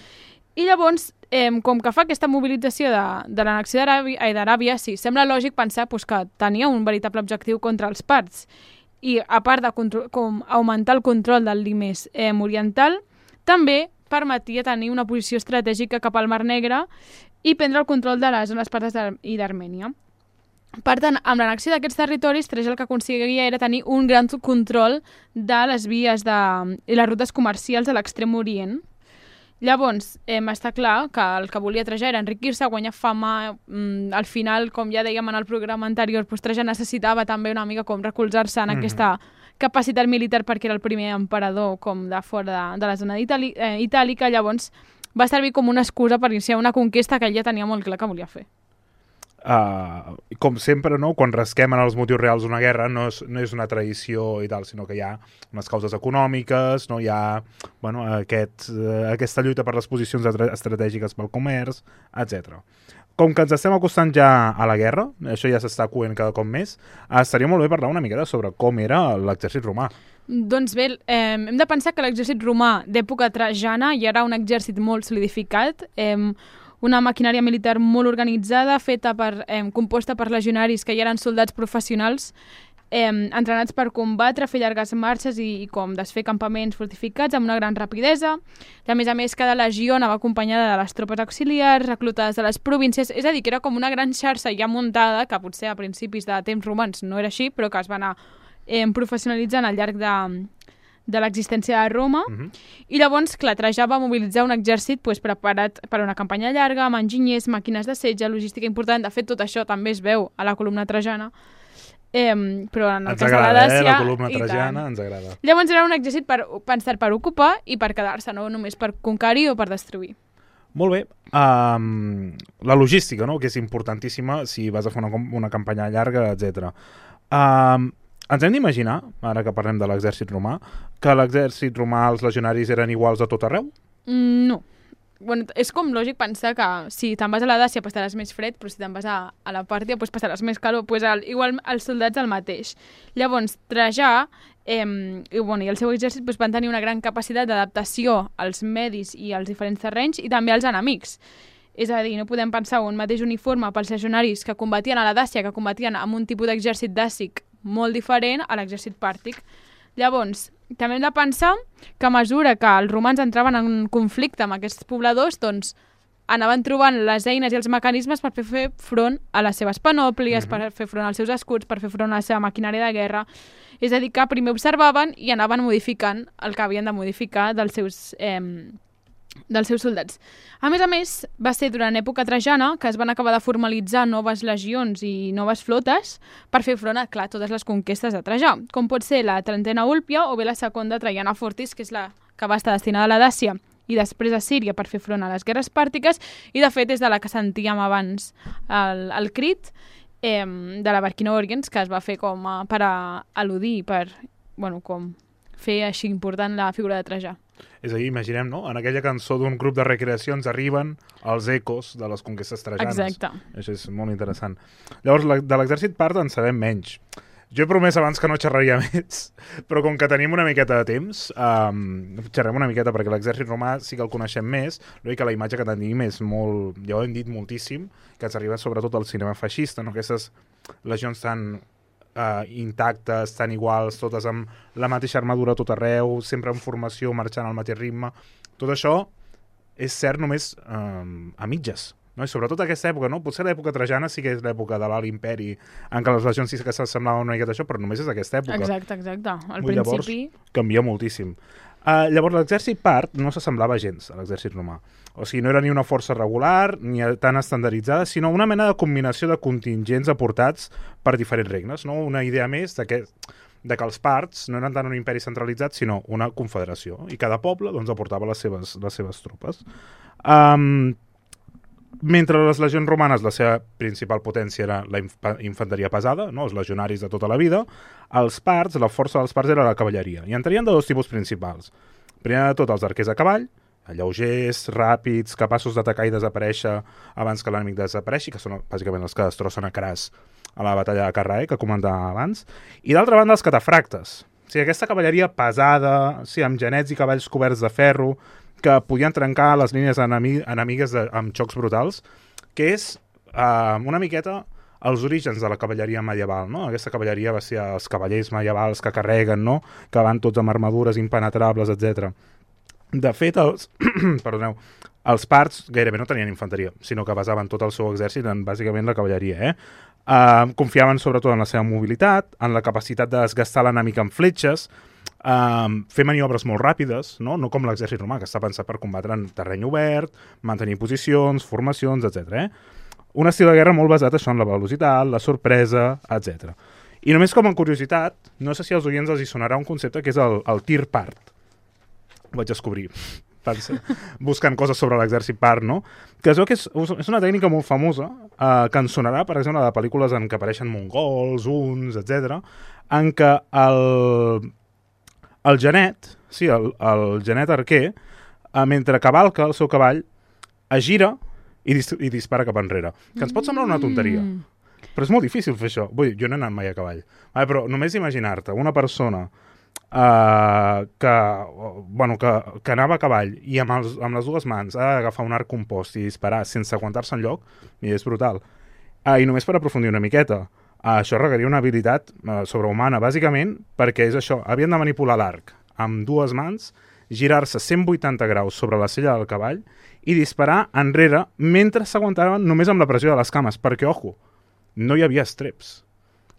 i llavors, eh, com que fa aquesta mobilització de, de l'annexió d'Aràbia, ai, d'Aràbia, sí, sembla lògic pensar pues, que tenia un veritable objectiu contra els parts. I a part de contro- com augmentar el control del Limes eh, oriental, també permetia tenir una posició estratègica cap al Mar Negre i prendre el control de les zones partes d'Ar- i d'Armènia. Per tant, amb l'annexió d'aquests territoris, Trajà el que aconseguia era tenir un gran control de les vies de, i les rutes comercials de l'extrem orient. Llavors, eh, està clar que el que volia Trajà era enriquir-se, guanyar fama. Mm, al final, com ja dèiem en el programa anterior, doncs Trajà necessitava també una mica com recolzar-se en Mhm. aquesta capacitat militar perquè era el primer emperador com de fora de, de la zona itali eh, itàlica. Llavors, va servir com una excusa per iniciar una conquesta que ell ja tenia molt clar que volia fer. Uh, com sempre, no? Quan rasquem en els motius reals d'una guerra no és, no és una tradició i tal, sinó que hi ha unes causes econòmiques, no? Hi ha bueno, aquest, uh, aquesta lluita per les posicions estratègiques pel comerç, etcètera. Com que ens estem acostant ja a la guerra, això ja s'està coent cada cop més, uh, estaria molt bé parlar una miqueta sobre com era l'exèrcit romà. Doncs bé, eh, hem de pensar que l'exèrcit romà d'època trajana ja era un exèrcit molt solidificat, eh, una maquinària militar molt organitzada, feta per, eh, composta per legionaris que ja eren soldats professionals, eh, entrenats per combatre, fer llargues marxes i, i com desfer campaments fortificats amb una gran rapidesa. A més a més, cada legió anava acompanyada de les tropes auxiliars, reclutades de les províncies, és a dir, que era com una gran xarxa ja muntada, que potser a principis de temps romans no era així, però que es va anar eh, professionalitzant al llarg de... de l'existència de Roma, uh-huh. I llavors, clar, Trajà va mobilitzar un exèrcit pues, preparat per a una campanya llarga, amb enginyers, màquines de setge, logística important. De fet, tot això també es veu a la columna trajana, eh, però en el ens cas agrada, de la Dàcia... Eh? La columna trajana ens agrada. Llavors era un exèrcit per, pensat per ocupar i per quedar-se, no només per conquerir o per destruir. Molt bé. Um, la logística, no?, que és importantíssima si vas a fer una, una campanya llarga, etcètera. Um, Ens hem d'imaginar, ara que parlem de l'exèrcit romà, que l'exèrcit romà, els legionaris eren iguals a tot arreu? Mm, no. Bueno, és com lògic pensar que si te'n vas a la Dàcia passaràs més fred, però si te'n vas a, a la Pàrtia pues passaràs més calor. Pues el, igual els soldats el mateix. Llavors, Trajà eh, i, bueno, i el seu exèrcit pues, van tenir una gran capacitat d'adaptació als medis i als diferents terrenys i també als enemics. És a dir, no podem pensar un mateix uniforme pels legionaris que combatien a la Dàcia, que combatien amb un tipus d'exèrcit dàcic molt diferent a l'exèrcit pàrtic. Llavors, també hem de pensar que a mesura que els romans entraven en conflicte amb aquests pobladors, doncs anaven trobant les eines i els mecanismes per fer front a les seves panòplies, mm-hmm. per fer front als seus escuts, per fer front a la seva maquinària de guerra. És a dir, que primer observaven i anaven modificant el que havien de modificar dels seus... Eh, dels seus soldats. A més a més, va ser durant l'època trajana que es van acabar de formalitzar noves legions i noves flotes per fer front a, clar, totes les conquestes de Trajà, com pot ser la trentena Úlpia o bé la segona Traiana Fortis, que és la que va estar destinada a la Dàcia i després a Síria per fer front a les guerres pàrtiques, i de fet és de la que sentíem abans el, el crit eh, de la Vercingetorix, que es va fer com a, per a al·ludir, per bueno, com fer així important la figura de Trajà. És a dir, imaginem, no?, en aquella cançó d'un grup de recreacions arriben els ecos de les conquestes trajanes. Exacte. Això és molt interessant. Llavors, de l'exèrcit part en sabem menys. Jo he promès abans que no xerraria més, però com que tenim una miqueta de temps, um, xerrem una miqueta perquè l'exèrcit romà sí que el coneixem més, l'únic que la imatge que tenim és molt, ja ho hem dit moltíssim, que ens arriba sobretot al cinema feixista, no?, aquestes legions tan... Uh, intactes, tan iguals, totes amb la mateixa armadura tot arreu, sempre en formació, marxant al mateix ritme. Tot això és cert només uh, a mitges. No? I sobretot aquesta època, no? Potser l'època trajana sí que és l'època de l'Alt Imperi, en què les legions sí que s'assemblaven una miqueta això, però només és aquesta època. Exacte, exacte. Al Ui, principi... Llavors canvia moltíssim. Uh, llavors l'exèrcit part no s'assemblava gens a l'exèrcit romà. O sigui, no era ni una força regular, ni tan estandarditzada, sinó una mena de combinació de contingents aportats per diferents regnes. No? Una idea més de que, de que els parts no eren tant un imperi centralitzat, sinó una confederació. I cada poble doncs, aportava les seves, les seves tropes. Um, mentre les legions romanes, la seva principal potència era la inf infanteria pesada, no? Els legionaris de tota la vida, els parts, la força dels parts era la cavalleria. I entrarien de dos tipus principals. Primer de tot, els arquers a cavall, lleugers, ràpids, capaços d'atacar i desaparèixer abans que l'enemic desapareixi, que són bàsicament els que destrossen a Cras a la batalla de Carrae, que comentava abans. I d'altra banda, els catafractes. O sigui, aquesta cavalleria pesada, sí, amb genets i cavalls coberts de ferro, que podien trencar les línies enemi enemigues de, amb xocs brutals, que és uh, una miqueta els orígens de la cavalleria medieval, no? Aquesta cavalleria va ser els cavallers medievals que carreguen, no?, que van tots amb armadures impenetrables, etcètera. De fet, els, perdoneu, els parts gairebé no tenien infanteria, sinó que basaven tot el seu exèrcit en bàsicament la cavalleria. Eh? Uh, confiaven sobretot en la seva mobilitat, en la capacitat de desgastar l'enemic amb fletxes, uh, fer maniobres molt ràpides, no, no com l'exèrcit romà, que està pensat per combatre en terreny obert, mantenir posicions, formacions, etcètera. Eh? Un estil de guerra molt basat això en la velocitat, la sorpresa, etcètera. I només com a curiositat, no sé si als oients els hi sonarà un concepte que és el, el tir part. Ho vaig descobrir buscant coses sobre l'exèrcit part, no? Que es veu que és, és una tècnica molt famosa, eh, que ens sonarà, per exemple, de pel·lícules en què apareixen mongols, huns, etcètera, en què el, el genet, sí, el, el genet arquer, eh, mentre cavalca el seu cavall, es gira i, dis i dispara cap enrere. Que ens pot semblar una tonteria, però és molt difícil fer això. Vull dir, jo no he anat mai a cavall, vale, però només imaginar-te una persona uh, que, bueno, que, que anava a cavall i amb, els, amb les dues mans ha d'agafar un arc compost i disparar sense aguantar-se enlloc, i és brutal. Uh, I només per aprofundir una miqueta, uh, això requeria una habilitat uh, sobrehumana, bàsicament, perquè és això, havien de manipular l'arc amb dues mans, girar-se cent vuitanta graus sobre la sella del cavall i disparar enrere mentre s'aguantaven només amb la pressió de les cames, perquè, ojo, no hi havia estreps.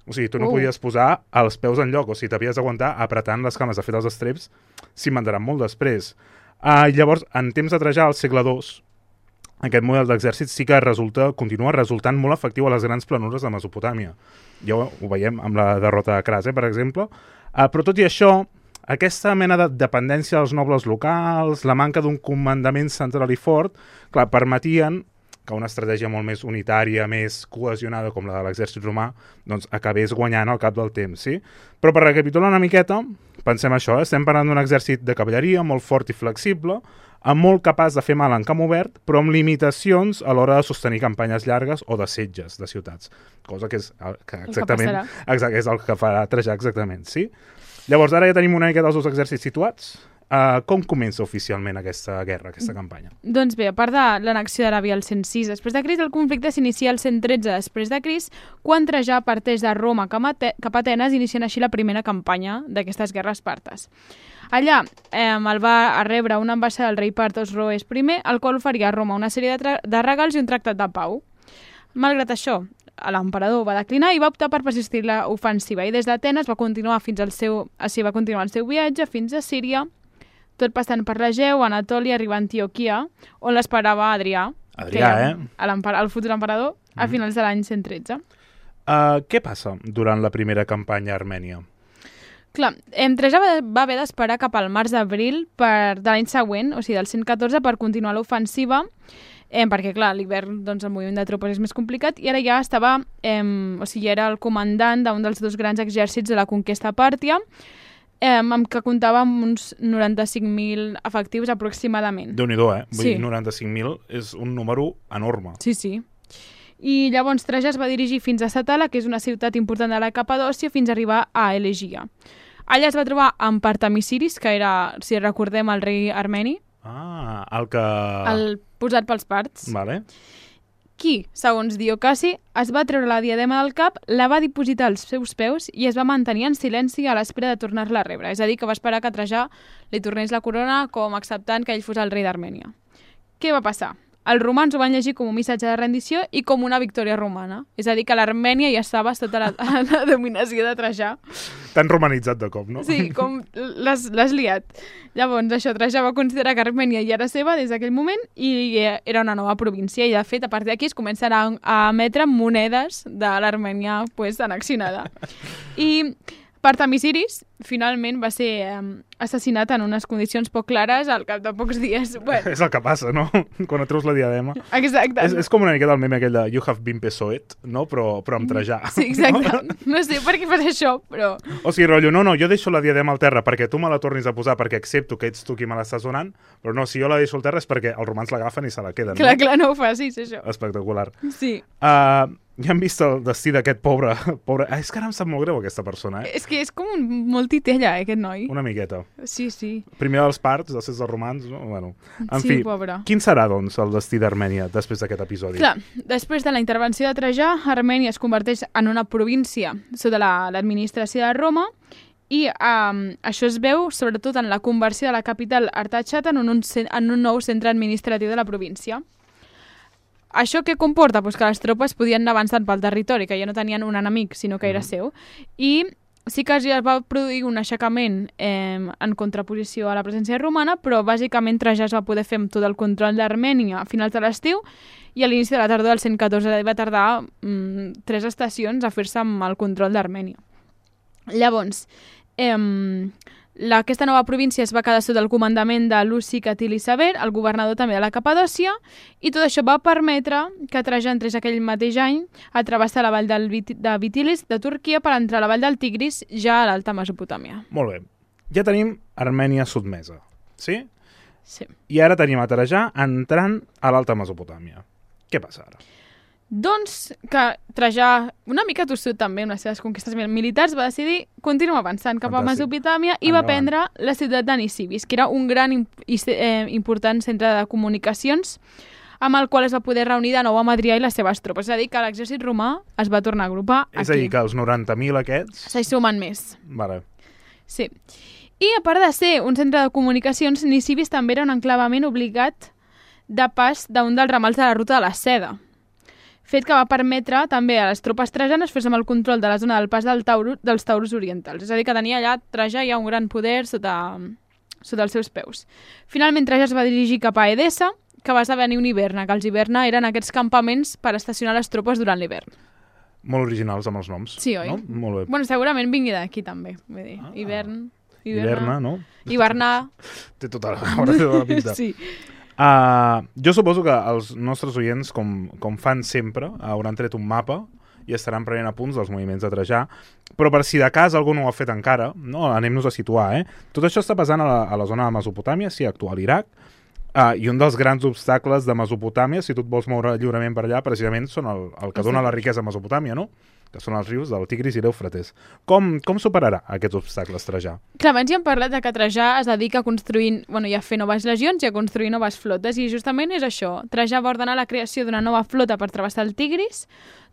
O sigui, tu no uh. podies posar els peus en lloc, o sigui, t'havies d'aguantar apretant les cames. De fet, els estreps s'inventaran molt després. Uh, llavors, en temps de Trajà, al segle dos, aquest model d'exèrcit sí que resulta, continua resultant molt efectiu a les grans planures de Mesopotàmia. Ja ho, ho veiem amb la derrota de Crase, per exemple. Uh, però tot i això, aquesta mena de dependència dels nobles locals, la manca d'un comandament central i fort, clar, permetien que una estratègia molt més unitària, més cohesionada com la de l'exèrcit romà, doncs acabés guanyant al cap del temps, sí? Però per recapitular una miqueta, pensem això, eh? Estem parlant d'un exèrcit de cavalleria molt fort i flexible, amb molt capaç de fer mal en camp obert, però amb limitacions a l'hora de sostenir campanyes llargues o de setges de ciutats, cosa que és el que exactament el que exacte, és el que farà Trajà exactament, sí? Llavors, ara ja tenim una mica dels dos exèrcits situats. Uh, com comença oficialment aquesta guerra, aquesta campanya? Doncs bé, a part de l'annexió d'Aràbia al cent sis després de Crist, el conflicte s'inicia al cent tretze després de Crist, quan Trajà parteix de Roma cap a Atenes, iniciant així la primera campanya d'aquestes guerres partes. Allà eh, el va rebre una ambaixada del rei Partos Roes I, el qual oferia a Roma una sèrie de, de regals i un tractat de pau. Malgrat això, l'emperador va declinar i va optar per persistir l'ofensiva, i des d'Atenes va continuar fins al seu, així va continuar el seu viatge fins a Síria, tot passant per l'Egeu, Anatòlia, arriba a Antioquia, on l'esperava Adrià, Adrià, eh? el futur emperador, a mm. finals de l'any cent tretze. Uh, què passa durant la primera campanya a Armènia? Clar, Trajà va, va haver d'esperar cap al març-abril de l'any següent, o sigui, del cent catorze, per continuar l'ofensiva, eh, perquè, clar, l'hivern, doncs, el moviment de tropes és més complicat, i ara ja estava, eh, o sigui, era el comandant d'un dels dos grans exèrcits de la conquesta pàrtia, eh, amb què comptava amb uns noranta-cinc mil efectius aproximadament. Déu-n'hi-do, eh? Vull sí. dir, noranta-cinc mil és un número enorme. Sí, sí. I llavors Trajà es va dirigir fins a Satala, que és una ciutat important de la Capadòcia, fins a arribar a Elegia. Allà es va trobar amb Partamisiris, que era, si recordem, el rei armeni. Ah, el que... El posat pels parts. Vale. Qui, segons Diocasi, es va treure la diadema del cap, la va dipositar als seus peus i es va mantenir en silenci a l'espera de tornar-la a rebre. És a dir, que va esperar que Trajà li tornés la corona com acceptant que ell fos el rei d'Armènia. Què va passar? Els romans ho van llegir com un missatge de rendició i com una victòria romana. És a dir, que l'Armènia ja estava sota la, la dominació de Trajà. Tan romanitzat de cop, no? Sí, com l'has liat. Llavors, això, Trajà va considerar que Armènia ja era seva des d'aquell moment i era una nova província. I, de fet, a partir d'aquí es començaran a, a emetre monedes de l'Armènia pues, annexionada. I Partamisiris, finalment, va ser eh, assassinat en unes condicions poc clares al cap de pocs dies. Bueno. És el que passa, no? Quan et treus la diadema. Exacte. És, és com una miqueta el meme aquell de You have been Pesoet, no? Però, però amb Trajà. Sí, exacte. No? no sé per què fas això, però... O sigui, rotllo, no, no, jo deixo la diadema al terra perquè tu me la tornis a posar perquè accepto que ets tu qui me l'estàs donant, però no, si jo la deixo al terra és perquè els romans l'agafen i se la queden. Clar, no? clar, no ho facis, això. Espectacular. Sí. Uh, ja hem vist el destí d'aquest pobre... pobre... Ah, és que ara em sap molt greu aquesta persona, eh? És que és com un molt titella, eh, aquest noi. Una miqueta. Sí, sí. Primer dels parts, després dels romans, no? Bueno, en sí, fi, pobre. Quin serà, doncs, el destí d'Armènia després d'aquest episodi? Clar, després de la intervenció de Trajà, Armènia es converteix en una província sota l'administració la, de Roma i um, això es veu sobretot en la conversió de la capital Artachat en un, en un nou centre administratiu de la província. Això què comporta? Pues que les tropes podien anar avançant pel territori, que ja no tenien un enemic, sinó que era seu. I sí que ja va produir un aixecament eh, en contraposició a la presència romana, però bàsicament Trajà es va poder fer amb tot el control d'Armènia a finals de l'estiu i a l'inici de la tardor del cent catorze va tardar mm, tres estacions a fer-se amb el control d'Armènia. Llavors, eh, la, aquesta nova província es va quedar sota el comandament de Luci Catili Sever, el governador també de la Capadòcia, i tot això va permetre que Trajà entrés aquell mateix any a travessar la vall del Vit de Vitilis de Turquia per entrar a la vall del Tigris, ja a l'Alta Mesopotàmia. Molt bé. Ja tenim Armènia sotmesa, sí? Sí. I ara tenim a Trajà entrant a l'Alta Mesopotàmia. Què passa ara? Doncs que Trajà, una mica tossut també amb les seves conquestes militars, va decidir continuar avançant cap a Mesopotàmia i va prendre la ciutat de Nisibis, que era un gran i eh, important centre de comunicacions amb el qual es va poder reunir de nou amb Adrià i les seves tropes. És a dir, que l'exèrcit romà es va tornar a agrupar aquí. És a dir, que els noranta mil aquests... S'hi sumen més. Vale. Sí. I a part de ser un centre de comunicacions, Nisibis també era un enclavament obligat de pas d'un dels ramals de la ruta de la seda, fet que va permetre també a les tropes trajanes fer-se amb el control de la zona del pas del Taurus, dels Taurus orientals. És a dir, que tenia allà Trajà ja un gran poder sota, sota els seus peus. Finalment, Trajà es va dirigir cap a Edessa, que va esdevenir un hiverna, que els hiverna eren aquests campaments per estacionar les tropes durant l'hivern. Molt originals amb els noms. Sí, oi? No? Molt bé. Bueno, segurament vingui d'aquí també. Vull dir, ah, hivern, hiverna, hiverna, no? hivernar... Té tota la, ara té tota la pinta. Sí. Uh, jo suposo que els nostres oients, com, com fan sempre, hauran tret un mapa i estaran prenent apunts dels moviments de Trajà, però per si de cas algú no ho ha fet encara, no, anem-nos a situar, eh? Tot això està passant a la, a la zona de Mesopotàmia, sí, actual Iraq, uh, i un dels grans obstacles de Mesopotàmia, si tu et vols moure lliurement per allà, precisament són el, el que dona la riquesa a Mesopotàmia, no? Que són els rius del Tigris i l'Eufrates. Com, com superarà aquests obstacles Trajà? Clar, abans ja hem parlat de que Trajà es dedica a construir, bueno, i a fer noves legions i a construir noves flotes, i justament és això. Trajà va ordenar la creació d'una nova flota per travessar el Tigris,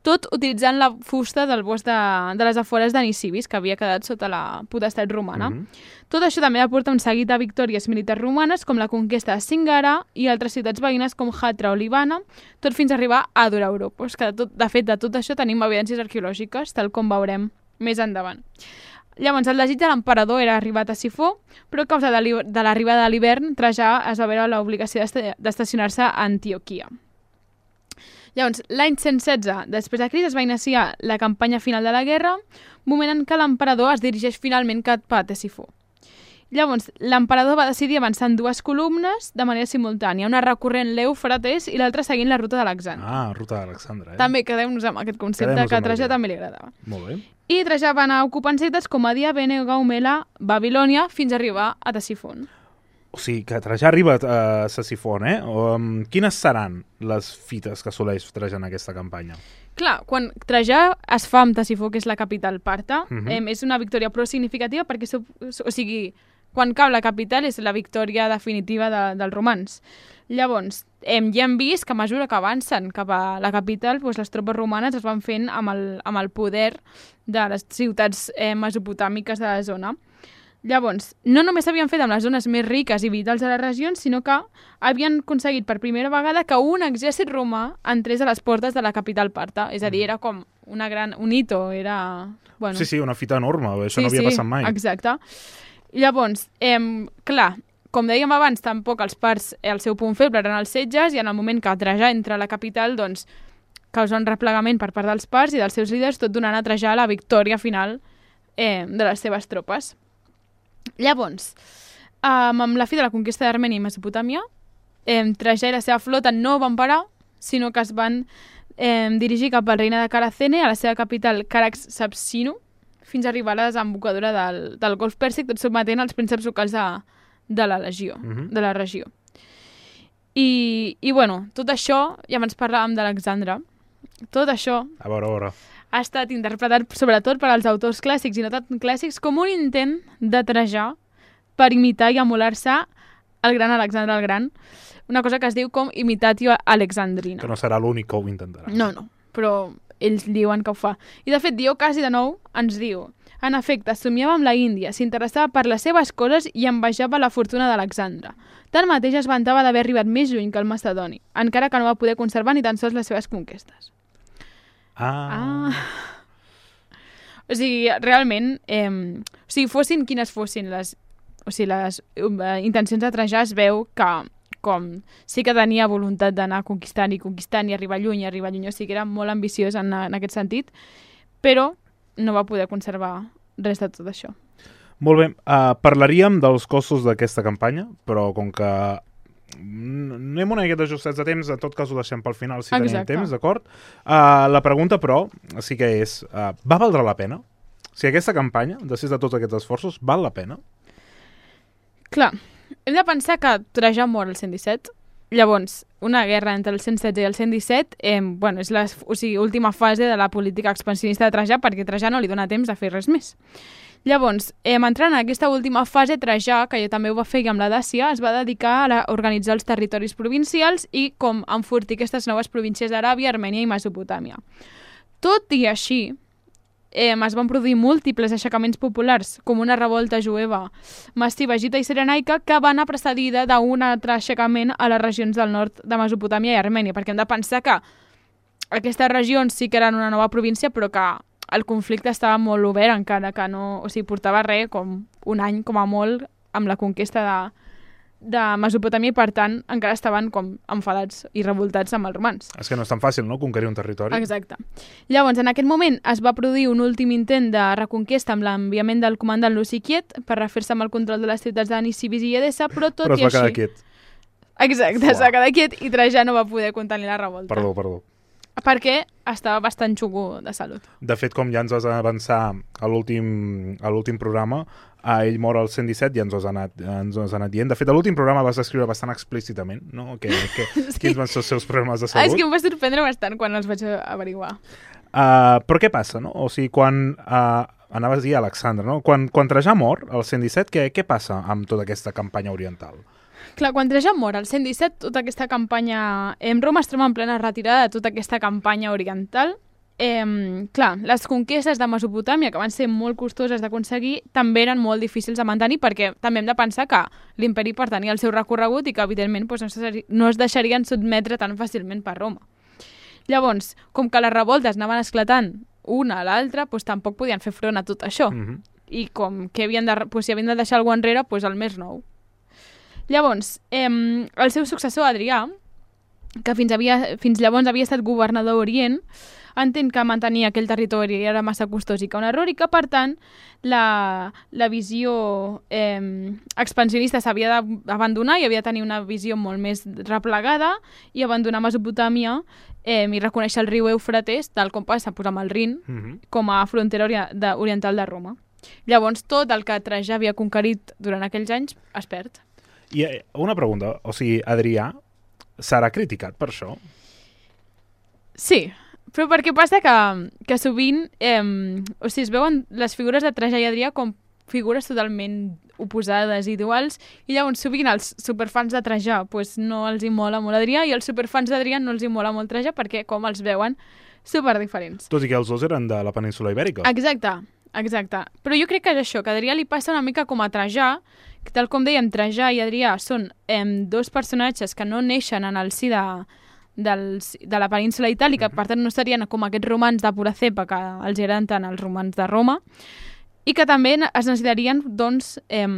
tot utilitzant la fusta del bosc de, de les afores de Nisibis, que havia quedat sota la potestat romana. Mm-hmm. Tot això també aporta un seguit de victòries militars romanes, com la conquesta de Singara i altres ciutats veïnes com Hatra o Libana, tot fins a arribar a Dura-Europos, que de, tot, de fet de tot això tenim evidències arqueològiques, tal com veurem més endavant. Llavors, el desig de l'emperador era arribar a Sifó, però a causa de l'arribada de l'hivern, Trajà es va veure l'obligació d'estacionar-se a Antioquia. Llavors, l'any cent setze després de Crist es va iniciar la campanya final de la guerra, moment en què l'emperador es dirigeix finalment cap a Ctesifó. Llavors, l'emperador va decidir avançar en dues columnes de manera simultània, una recorrent l'Eufrates i l'altra seguint la ruta d'Alexandre. Ah, ruta d'Alexandre, eh? També quedem-nos amb aquest concepte que a Trajà també li agradava. Molt bé. I Trajà va anar ocupant ciutats com Adia, Bene, Gaumela, Babilònia, fins a arribar a Ctesifont. O sigui, que Trajà arriba a Ctesifont, eh? Um, quines seran les fites que assoleix Trajà en aquesta campanya? Clar, quan Trajà es fa amb Ctesifó, que és la capital parta, Mhm. eh, és una victòria prou significativa perquè, so- o sigui, quan cau la capital és la victòria definitiva de, dels romans. Llavors, hem, ja hem vist que a mesura que avancen cap a la capital, doncs les tropes romanes es van fent amb el, amb el poder de les ciutats eh, mesopotàmiques de la zona. Llavors, no només s'havien fet amb les zones més riques i vitals de les regions, sinó que havien aconseguit per primera vegada que un exèrcit romà entrés a les portes de la capital parta. És a dir, era com una gran, un hito, era... Bueno, Sí, sí, una fita enorme, això sí, no havia sí, passat mai. Exacte. Llavors, eh, clar, com dèiem abans, tampoc els parts, eh, el seu punt feble eren els setges, i en el moment que Trajà entra a la capital, doncs, causa un replegament per part dels parts i dels seus líders, tot donant a Trajà la victòria final eh, de les seves tropes. Llavors, eh, amb la fi de la conquesta d'Armènia i Mesopotàmia, eh, Trajà i la seva flota no van parar, sinó que es van eh, dirigir cap al regne de Caracene, a la seva capital Carax-Sapsinu, fins a arribar a la desembocadura del, del Golf Pèrsic, tot sotmetent els prínceps locals de, de la legió, Mhm. de la regió. I, I, bueno, tot això, ja abans parlàvem d'Alexandre, tot això A veure, a veure. ha estat interpretat sobretot per als autors clàssics i no tan clàssics com un intent de Trajà per imitar i emular-se el gran Alexandre el Gran, una cosa que es diu com imitatio alexandrina. Que no serà l'únic que ho intentarà. No, no, però ells diuen que ho fa. I de fet, Diocasi de nou ens diu: en efecte, somiava amb la Índia, s'interessava per les seves coses i envejava la fortuna d'Alexandre. Tanmateix es vantava d'haver arribat més lluny que el macedoni, encara que no va poder conservar ni tan sols les seves conquestes. Ah. Ah. O sigui, realment, eh, o sigui, fossin quines fossin les, o sigui, les eh, intencions de Trajà, es veu que com sí que tenia voluntat d'anar conquistant i conquistant i arribar lluny i arribar lluny, o sigui, era molt ambiciós en, en aquest sentit, però no va poder conservar res de tot això. Molt bé, uh, parlaríem dels costos d'aquesta campanya, però com que anem una miqueta ajustats de temps, en tot cas ho deixem pel final si tenim Exacte. temps, d'acord? Uh, la pregunta, però, sí que és, uh, va valdre la pena? Si aquesta campanya, després de tots aquests esforços, val la pena? Clar, hem de pensar que Trajà mor el cent disset, Llavors, una guerra entre el cent setze i el cent disset eh, bueno, és la o sigui, última fase de la política expansionista de Trajà, perquè Trajà no li dona temps de fer res més. Llavors, eh, entrant en aquesta última fase, Trajà, que jo també ho va fer amb la Dàcia, es va dedicar a, la, a organitzar els territoris provincials i com enfortir aquestes noves províncies d'Aràbia, Armènia i Mesopotàmia. Tot i així, eh, es van produir múltiples aixecaments populars, com una revolta jueva massiva, egita i sirenaica, que va anar precedida d'un altre aixecament a les regions del nord de Mesopotàmia i Armènia, perquè hem de pensar que aquestes regions sí que eren una nova província, però que el conflicte estava molt obert, encara que no... O sigui, portava res, com un any, com a molt, amb la conquesta de, de Mesopotàmia i, per tant, encara estaven com enfadats i revoltats amb els romans. És que no és tan fàcil, no?, conquerir un territori. Exacte. Llavors, en aquest moment es va produir un últim intent de reconquesta amb l'enviament del comandant Luci Quiet per refer-se amb el control de les ciutats de Nisibis i Edessa, però tot però i així... Però es va quedar quiet. Exacte, es va quedar quiet i Trajà no va poder contenir la revolta. Perdó, perdó. Perquè estava bastant xugo de salut. De fet, com ja ens vas avançar a l'últim a l'últim programa, a ell mor al cent disset i ens ho has anat, ens ho has anat dient. De fet, a l'últim programa vas descriure bastant explícitament, no? Que, que, sí. Quins van ser els seus problemes de salut. Ah, és que em va sorprendre bastant quan els vaig averiguar. Uh, però què passa, no? O sigui, quan... Uh, anaves a dir Alexandre, no? Quan, quan Trajà mor, al cent disset, què, què passa amb tota aquesta campanya oriental? Clar, quan Trajà mor al cent disset, tota aquesta campanya... En Roma es troba en plena retirada de tota aquesta campanya oriental. Eh, clar, les conquestes de Mesopotàmia, que van ser molt costoses d'aconseguir, també eren molt difícils de mantenir, perquè també hem de pensar que l'imperi pertanyia al seu recorregut i que, evidentment, doncs, no, es, no es deixarien sotmetre tan fàcilment per Roma. Llavors, com que les revoltes anaven esclatant una a l'altra, doncs, tampoc podien fer front a tot això. Mm-hmm. I com que havien de, doncs, si havien de deixar alguna enrere, doncs el més nou. Llavors, eh, el seu successor, Adrià, que fins, havia, fins llavors havia estat governador d'Orient, entén que mantenir aquell territori era massa costós i que un error, i que, per tant, la, la visió eh, expansionista s'havia d'abandonar i havia de tenir una visió molt més replegada i abandonar Mesopotàmia eh, i reconèixer el riu Eufrates, tal com passa pues, amb el Rin, mm-hmm. com a frontera ori de, oriental de Roma. Llavors, tot el que Trajà havia conquerit durant aquells anys es perd. I una pregunta, o sigui, Adrià serà criticat per això? Sí, però perquè passa que, que sovint eh, o sigui, es veuen les figures de Trajà i Adrià com figures totalment oposades i duals, i llavors sovint els superfans de Trajà pues, no els hi mola molt Adrià i els superfans d'Adrià no els hi mola molt Trajà perquè com els veuen superdiferents. Tot i que els dos eren de la península Ibèrica. Exacte, exacte. Però jo crec que és això, que a Adrià li passa una mica com a Trajà, que tal com dèiem, Trajà i Adrià són eh, dos personatges que no neixen en el si de, dels, de la península itàlica, mm-hmm. per tant no serien com aquests romans de pura cepa que els eren tant els romans de Roma, i que també es necessitarien doncs, eh,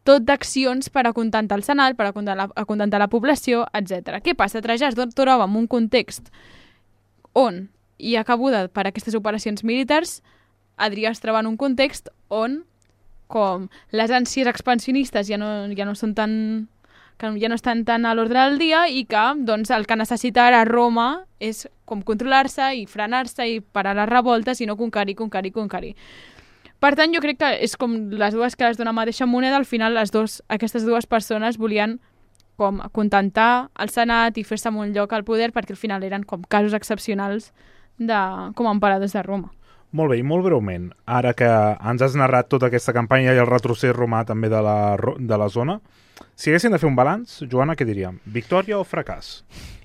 tot d'accions per acontentar el senat, per acontentar la, acontentar la població, etcètera. Què passa? Trajà es troba en un context on hi ha cabuda per aquestes operacions militars, Adrià es troba en un context on com les ànsies expansionistes ja no, ja no són tan, que ja no estan tan a l'ordre del dia i que doncs, el que necessita ara Roma és com controlar-se i frenar-se i parar les revoltes i no conquerir, conquerir, conquerir. Per tant, jo crec que és com les dues cares d'una mateixa moneda, al final les dos, aquestes dues persones volien com acontentar el senat i fer-se un lloc al poder perquè al final eren com casos excepcionals de, com a emperadors de Roma. Molt bé, i molt breument, ara que ens has narrat tota aquesta campanya i el retrocés romà també de la, de la zona, si haguessin de fer un balanç, Joana, què diríem? Victòria o fracàs?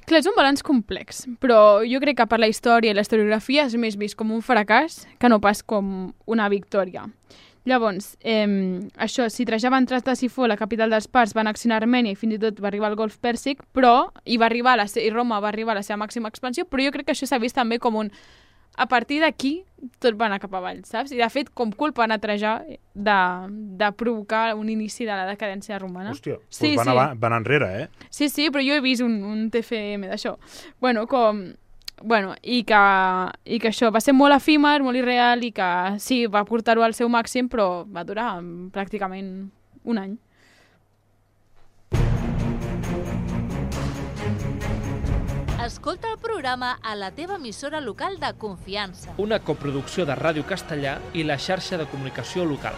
Clar, és un balanç complex, però jo crec que per la història i la historiografia és més vist com un fracàs que no pas com una victòria. Llavors, eh, això, si Trajà va entrar a Ctesifó, la capital dels parts, va annexionar Armènia i fins i tot va arribar al Golf Pèrsic, però i va arribar a la, i Roma va arribar a la seva màxima expansió, però jo crec que això s'ha vist també com un... A partir d'aquí, tot va anar cap avall, saps? I, de fet, com culpa a Trajà de, de provocar un inici de la decadència romana. Hòstia, sí, doncs van, sí. a, van enrere, eh? Sí, sí, però jo he vist un, un T F M d'això. Bueno, com... Bueno, i que, i que això va ser molt efímer, molt irreal, i que sí, va portar-ho al seu màxim, però va durar pràcticament un any. Escolta el programa a la teva emissora local de confiança. Una coproducció de Ràdio Castellà i la xarxa de comunicació local.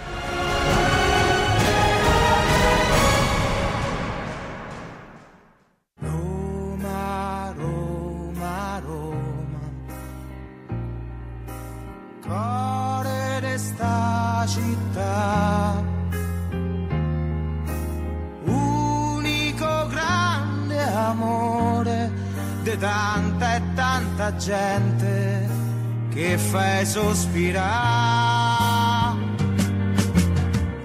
di tanta e tanta gente che fai sospirare.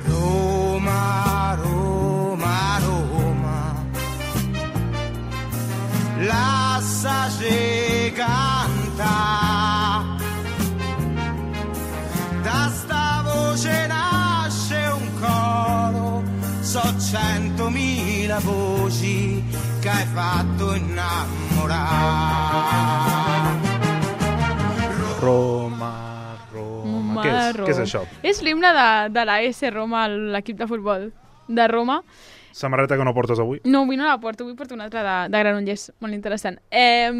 Roma, Roma, Roma, lasciaci cantare, da sta voce nasce un coro, so centomila voci che hai fatto innamorare. Roma, Roma... Què és, què és això? És l'himne de, de la S Roma, l'equip de futbol de Roma. Samarreta que no portes avui? No, avui no la porto, avui porto una altra de, de Granollers, molt interessant. Eh,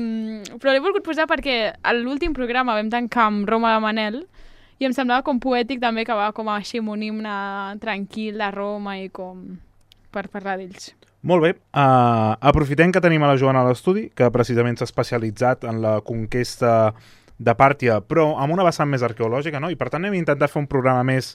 però l'he volgut posar perquè a l'últim programa vam tancar amb Roma de Manel i em semblava com poètic també que va com així amb un himne tranquil de Roma i com per parlar d'ells. Molt bé. Uh, aprofitem que tenim a la Joana a l'estudi, que precisament s'ha especialitzat en la conquesta de Pàrtia, però amb una vessant més arqueològica, no? I per tant hem intentat fer un programa més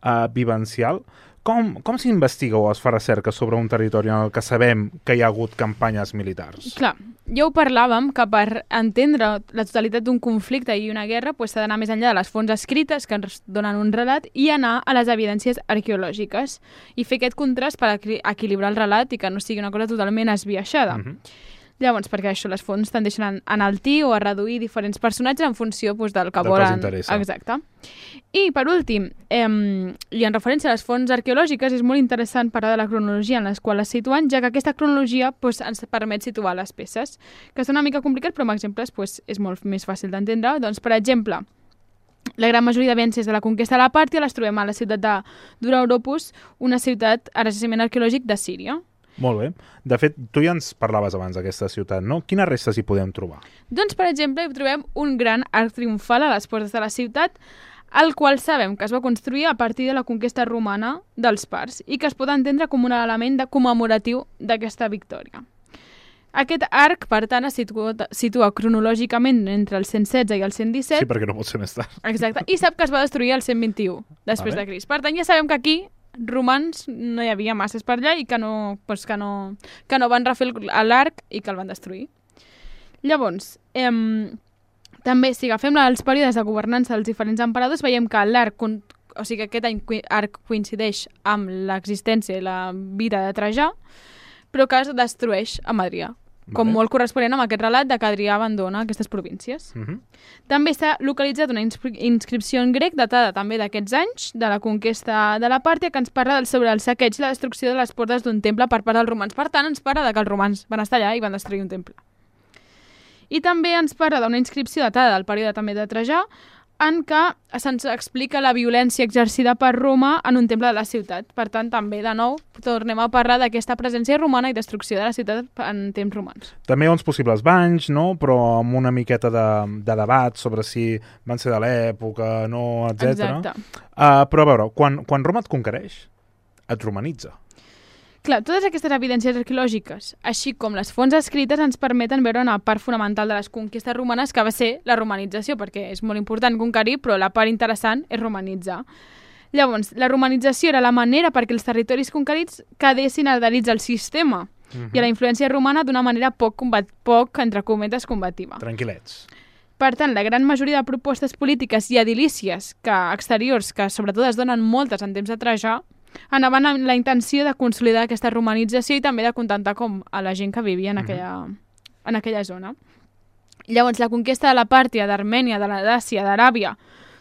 uh, vivencial. Com, com s'investiga o es fa recerca sobre un territori en el que sabem que hi ha hagut campanyes militars? Clar, ja ho parlàvem, que per entendre la totalitat d'un conflicte i una guerra pues, s'ha d'anar més enllà de les fonts escrites que ens donen un relat i anar a les evidències arqueològiques i fer aquest contrast per equilibrar el relat i que no sigui una cosa totalment esbiaixada. Mm-hmm. Llavors, perquè això, les fonts tendeixen a enaltir o a reduir diferents personatges en funció doncs, del que del volen. Que els interessa. Exacte. I, per últim, eh, i en referència a les fonts arqueològiques, és molt interessant parlar de la cronologia en la qual es situen, ja que aquesta cronologia doncs, ens permet situar les peces, que és una mica complicat, però amb exemples doncs, és molt més fàcil d'entendre. Doncs, per exemple, la gran majoria d'evidències de la conquesta de la Pàrtia les trobem a la ciutat de Dura-Europos, una ciutat a jaciment arqueològic de Síria. Molt bé. De fet, tu ja ens parlaves abans d'aquesta ciutat, no? Quines restes hi podem trobar? Doncs, per exemple, hi trobem un gran arc triomfal a les portes de la ciutat, el qual sabem que es va construir a partir de la conquesta romana dels parts i que es pot entendre com un element de commemoratiu d'aquesta victòria. Aquest arc, per tant, es situa, situa cronològicament entre el cent setze i el cent disset. Sí, perquè no pot ser més tard. Exacte. I sap que es va destruir el cent vint-i-u després vale. de Crist. Per tant, ja sabem que aquí romans no hi havia masses per allà i que no, pues que no, que no van refer l'arc i que el van destruir. Llavors, eh, també, si agafem els períodes de governança dels diferents emperadors, veiem que l'arc, o sigui que aquest arc coincideix amb l'existència i la vida de Trajà, però que es destrueix a Adrià, com vale. molt corresponent amb aquest relat de que Adrià abandona aquestes províncies. Uh-huh. També s'ha localitzat una inscri- inscripció en grec datada també d'aquests anys, de la conquesta de la Pàrtia, que ens parla sobre el saqueig i la destrucció de les portes d'un temple per part dels romans. Per tant, ens parla de que els romans van estar allà i van destruir un temple. I també ens parla d'una inscripció datada del període també de Trajà, en què se'ns explica la violència exercida per Roma en un temple de la ciutat. Per tant, també, de nou, tornem a parlar d'aquesta presència romana i destrucció de la ciutat en temps romans. També hi ha uns possibles banys, no? Però amb una miqueta de, de debat sobre si van ser de l'època, no, etcètera. Exacte. Uh, però a veure, quan, quan Roma et conquereix, et romanitza. Clar, totes aquestes evidències arqueològiques, així com les fonts escrites, ens permeten veure una part fonamental de les conquestes romanes, que va ser la romanització, perquè és molt important conquerir, però la part interessant és romanitzar. Llavors, la romanització era la manera perquè els territoris conquerits quedessin adherits al sistema uh-huh. i a la influència romana d'una manera poc, combat, poc entre cometes, combativa. Tranquil·lets. Per tant, la gran majoria de propostes polítiques i edilícies que, exteriors, que sobretot es donen moltes en temps de Trajà, anaven amb la intenció de consolidar aquesta romanització i també de contentar com a la gent que vivia en aquella, en aquella zona. Llavors, la conquesta de la Pàrtia, d'Armènia, de l'Adàcia, d'Aràbia,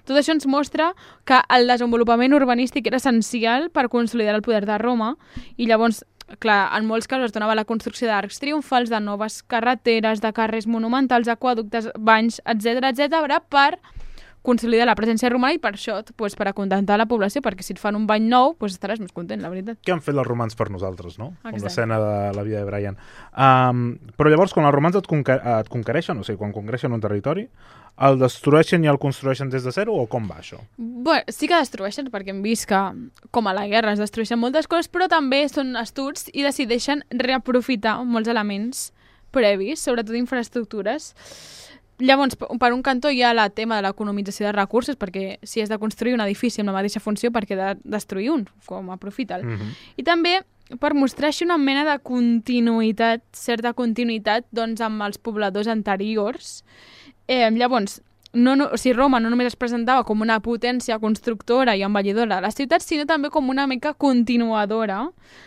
tot això ens mostra que el desenvolupament urbanístic era essencial per consolidar el poder de Roma i llavors, clar, en molts casos es donava la construcció d'arcs triomfals, de noves carreteres, de carrers monumentals, aquaductes, banys, etcètera, etcètera, per consolidar la presència romana i per això, pues, per acontentar la població, perquè si et fan un bany nou, pues, estaràs més content, la veritat. Què han fet els romans per nosaltres, no? Exacte. Com l'escena de la vida de Brian. Um, però llavors, quan els romans et, conquer et conquereixen, o sigui, quan conquereixen un territori, el destrueixen i el construeixen des de zero o com va això? Bé, sí que destrueixen, perquè hem vist que, com a la guerra, es destrueixen moltes coses, però també són astuts i decideixen reaprofitar molts elements previs, sobretot infraestructures. Llavors, per un cantó hi ha el tema de l'economització de recursos, perquè si has de construir un edifici amb la mateixa funció, per què de destruir un, com aprofita'l. Mm-hmm. I també per mostrar així una mena de continuïtat, certa continuïtat, doncs, amb els pobladors anteriors. Eh, llavors, no, no, o sigui, Roma no només es presentava com una potència constructora i envellidora de la ciutat, sinó també com una mica continuadora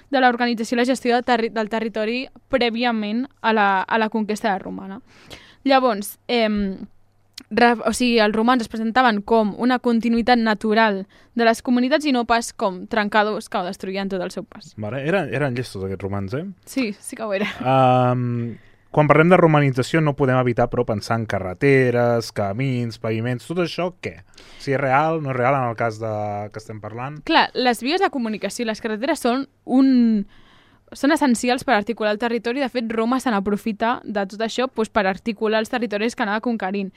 de l'organització i la gestió del, terri del territori prèviament a la, a la conquesta romana. Llavors, eh, re, o sigui, els romans es presentaven com una continuïtat natural de les comunitats i no pas com trencadors que ho destruïen tot el seu pas. Vale, eren, eren llestos aquests romans, eh? Sí, sí que ho era. Um, quan parlem de romanització no podem evitar, però, pensar en carreteres, camins, paviments, tot això, què? Si és real, no és real en el cas de que estem parlant? Clar, les vies de comunicació i les carreteres són un... són essencials per articular el territori. De fet, Roma se n'aprofita de tot això doncs, per articular els territoris que anava conquerint.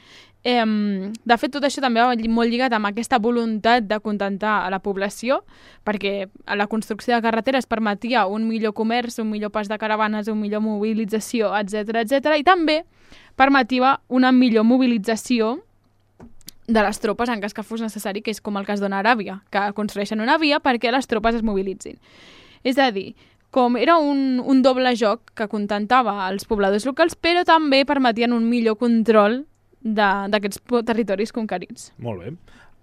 Eh, de fet, tot això també va molt lligat amb aquesta voluntat de contentar a la població, perquè a la construcció de carreteres permetia un millor comerç, un millor pas de caravanes, una millor mobilització, etcètera, etcètera, i també permetia una millor mobilització de les tropes en cas que fos necessari, que és com el cas d'una Aràbia, que construeixen una via perquè les tropes es mobilitzin. És a dir, com era un, un doble joc que contentava els pobladors locals, però també permetien un millor control d'aquests territoris conquerits. Molt bé.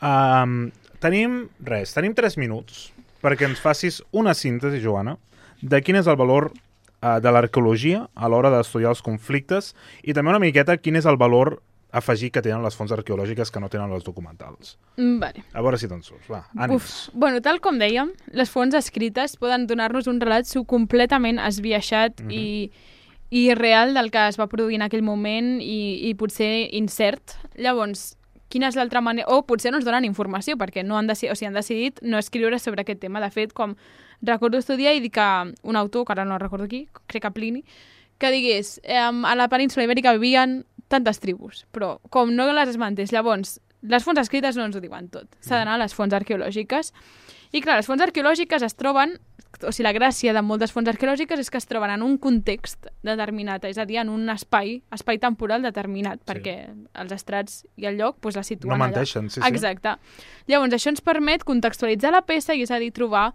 Um, tenim res, tenim tres minuts perquè ens facis una síntesi, Joana, de quin és el valor uh, de l'arqueologia a l'hora d'estudiar els conflictes i també una miqueta quin és el valor afegir que tenen les fonts arqueològiques que no tenen les documentals. Mm, vale. A veure si te'n surts. Va, ànims. Uf. Bueno, tal com dèiem, les fonts escrites poden donar-nos un relat completament esbiaixat mm-hmm. i, i real del que es va produir en aquell moment i, i potser incert. Llavors, quina és l'altra manera... O potser no ens donen informació, perquè no han, deci... o sigui, han decidit no escriure sobre aquest tema. De fet, com recordo estudiar i dir que un autor, que ara no recordo qui, crec que Plini, que digués, eh, a la península ibèrica vivien tantes tribus, però com no les esmentés, llavors, les fonts escrites no ens ho diuen tot. S'ha d'anar a les fonts arqueològiques. I clar, les fonts arqueològiques es troben, o sigui, la gràcia de moltes fonts arqueològiques és que es troben en un context determinat, és a dir, en un espai, espai temporal determinat, sí. perquè els estrats i el lloc doncs, la situen no menteixen, allà. Sí, sí. Exacte. Llavors, això ens permet contextualitzar la peça i és a dir, trobar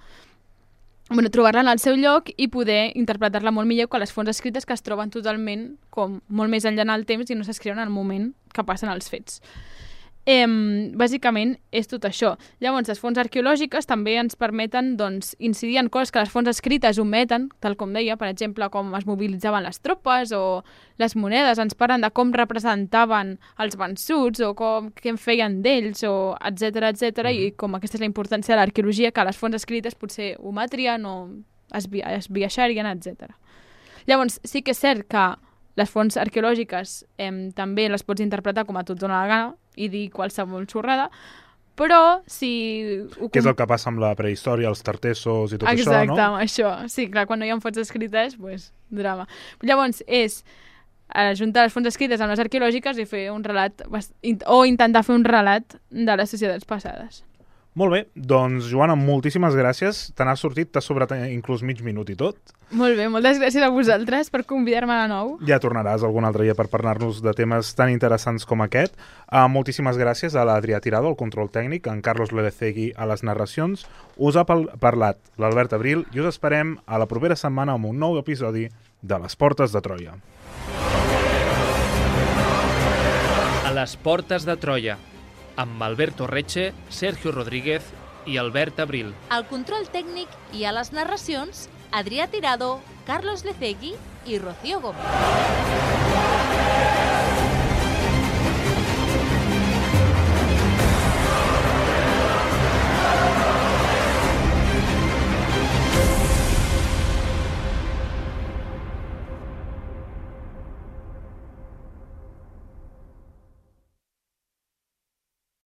Bueno, trobar-la en el seu lloc i poder interpretar-la molt millor que les fonts escrites que es troben totalment com molt més enllà en el temps i no s'escriuen en el moment que passen els fets. Eh, bàsicament és tot això. Llavors, les fonts arqueològiques també ens permeten doncs, incidir en coses que les fonts escrites ometen, tal com deia, per exemple, com es mobilitzaven les tropes o les monedes, ens parlen de com representaven els vençuts o com, què en feien d'ells, o etcètera, etcètera, mm. i com aquesta és la importància de l'arqueologia, que les fonts escrites potser ometrien o esbiaixarien, etcètera. Llavors, sí que és cert que les fonts arqueològiques eh, també les pots interpretar com a tot dona la gana i dir qualsevol xorrada, però si... Què és el que passa amb la prehistòria, els tartessos i tot Exacte, això, no? Exacte, això. Sí, clar, quan no hi ha fonts escrites, pues, drama. Llavors, és ajuntar les fonts escrites amb les arqueològiques i fer un relat, o intentar fer un relat de les societats passades. Molt bé, doncs, Joana, moltíssimes gràcies. Te n'has sortit, t'has sobrat inclús mig minut i tot. Molt bé, moltes gràcies a vosaltres per convidar-me de nou. Ja tornaràs algun altre dia per parlar-nos de temes tan interessants com aquest. Uh, moltíssimes gràcies a l'Adrià Tirado, al control tècnic, a en Carlos Ledecegui a les narracions. Us ha parlat l'Albert Abril i us esperem a la propera setmana amb un nou episodi de Les Portes de Troia. A les Portes de Troia, amb Alberto Reche, Sergio Rodríguez i Albert Abril. Al control tècnic i a les narracions, Adrià Tirado, Carlos Lecegui i Rocío Gómez.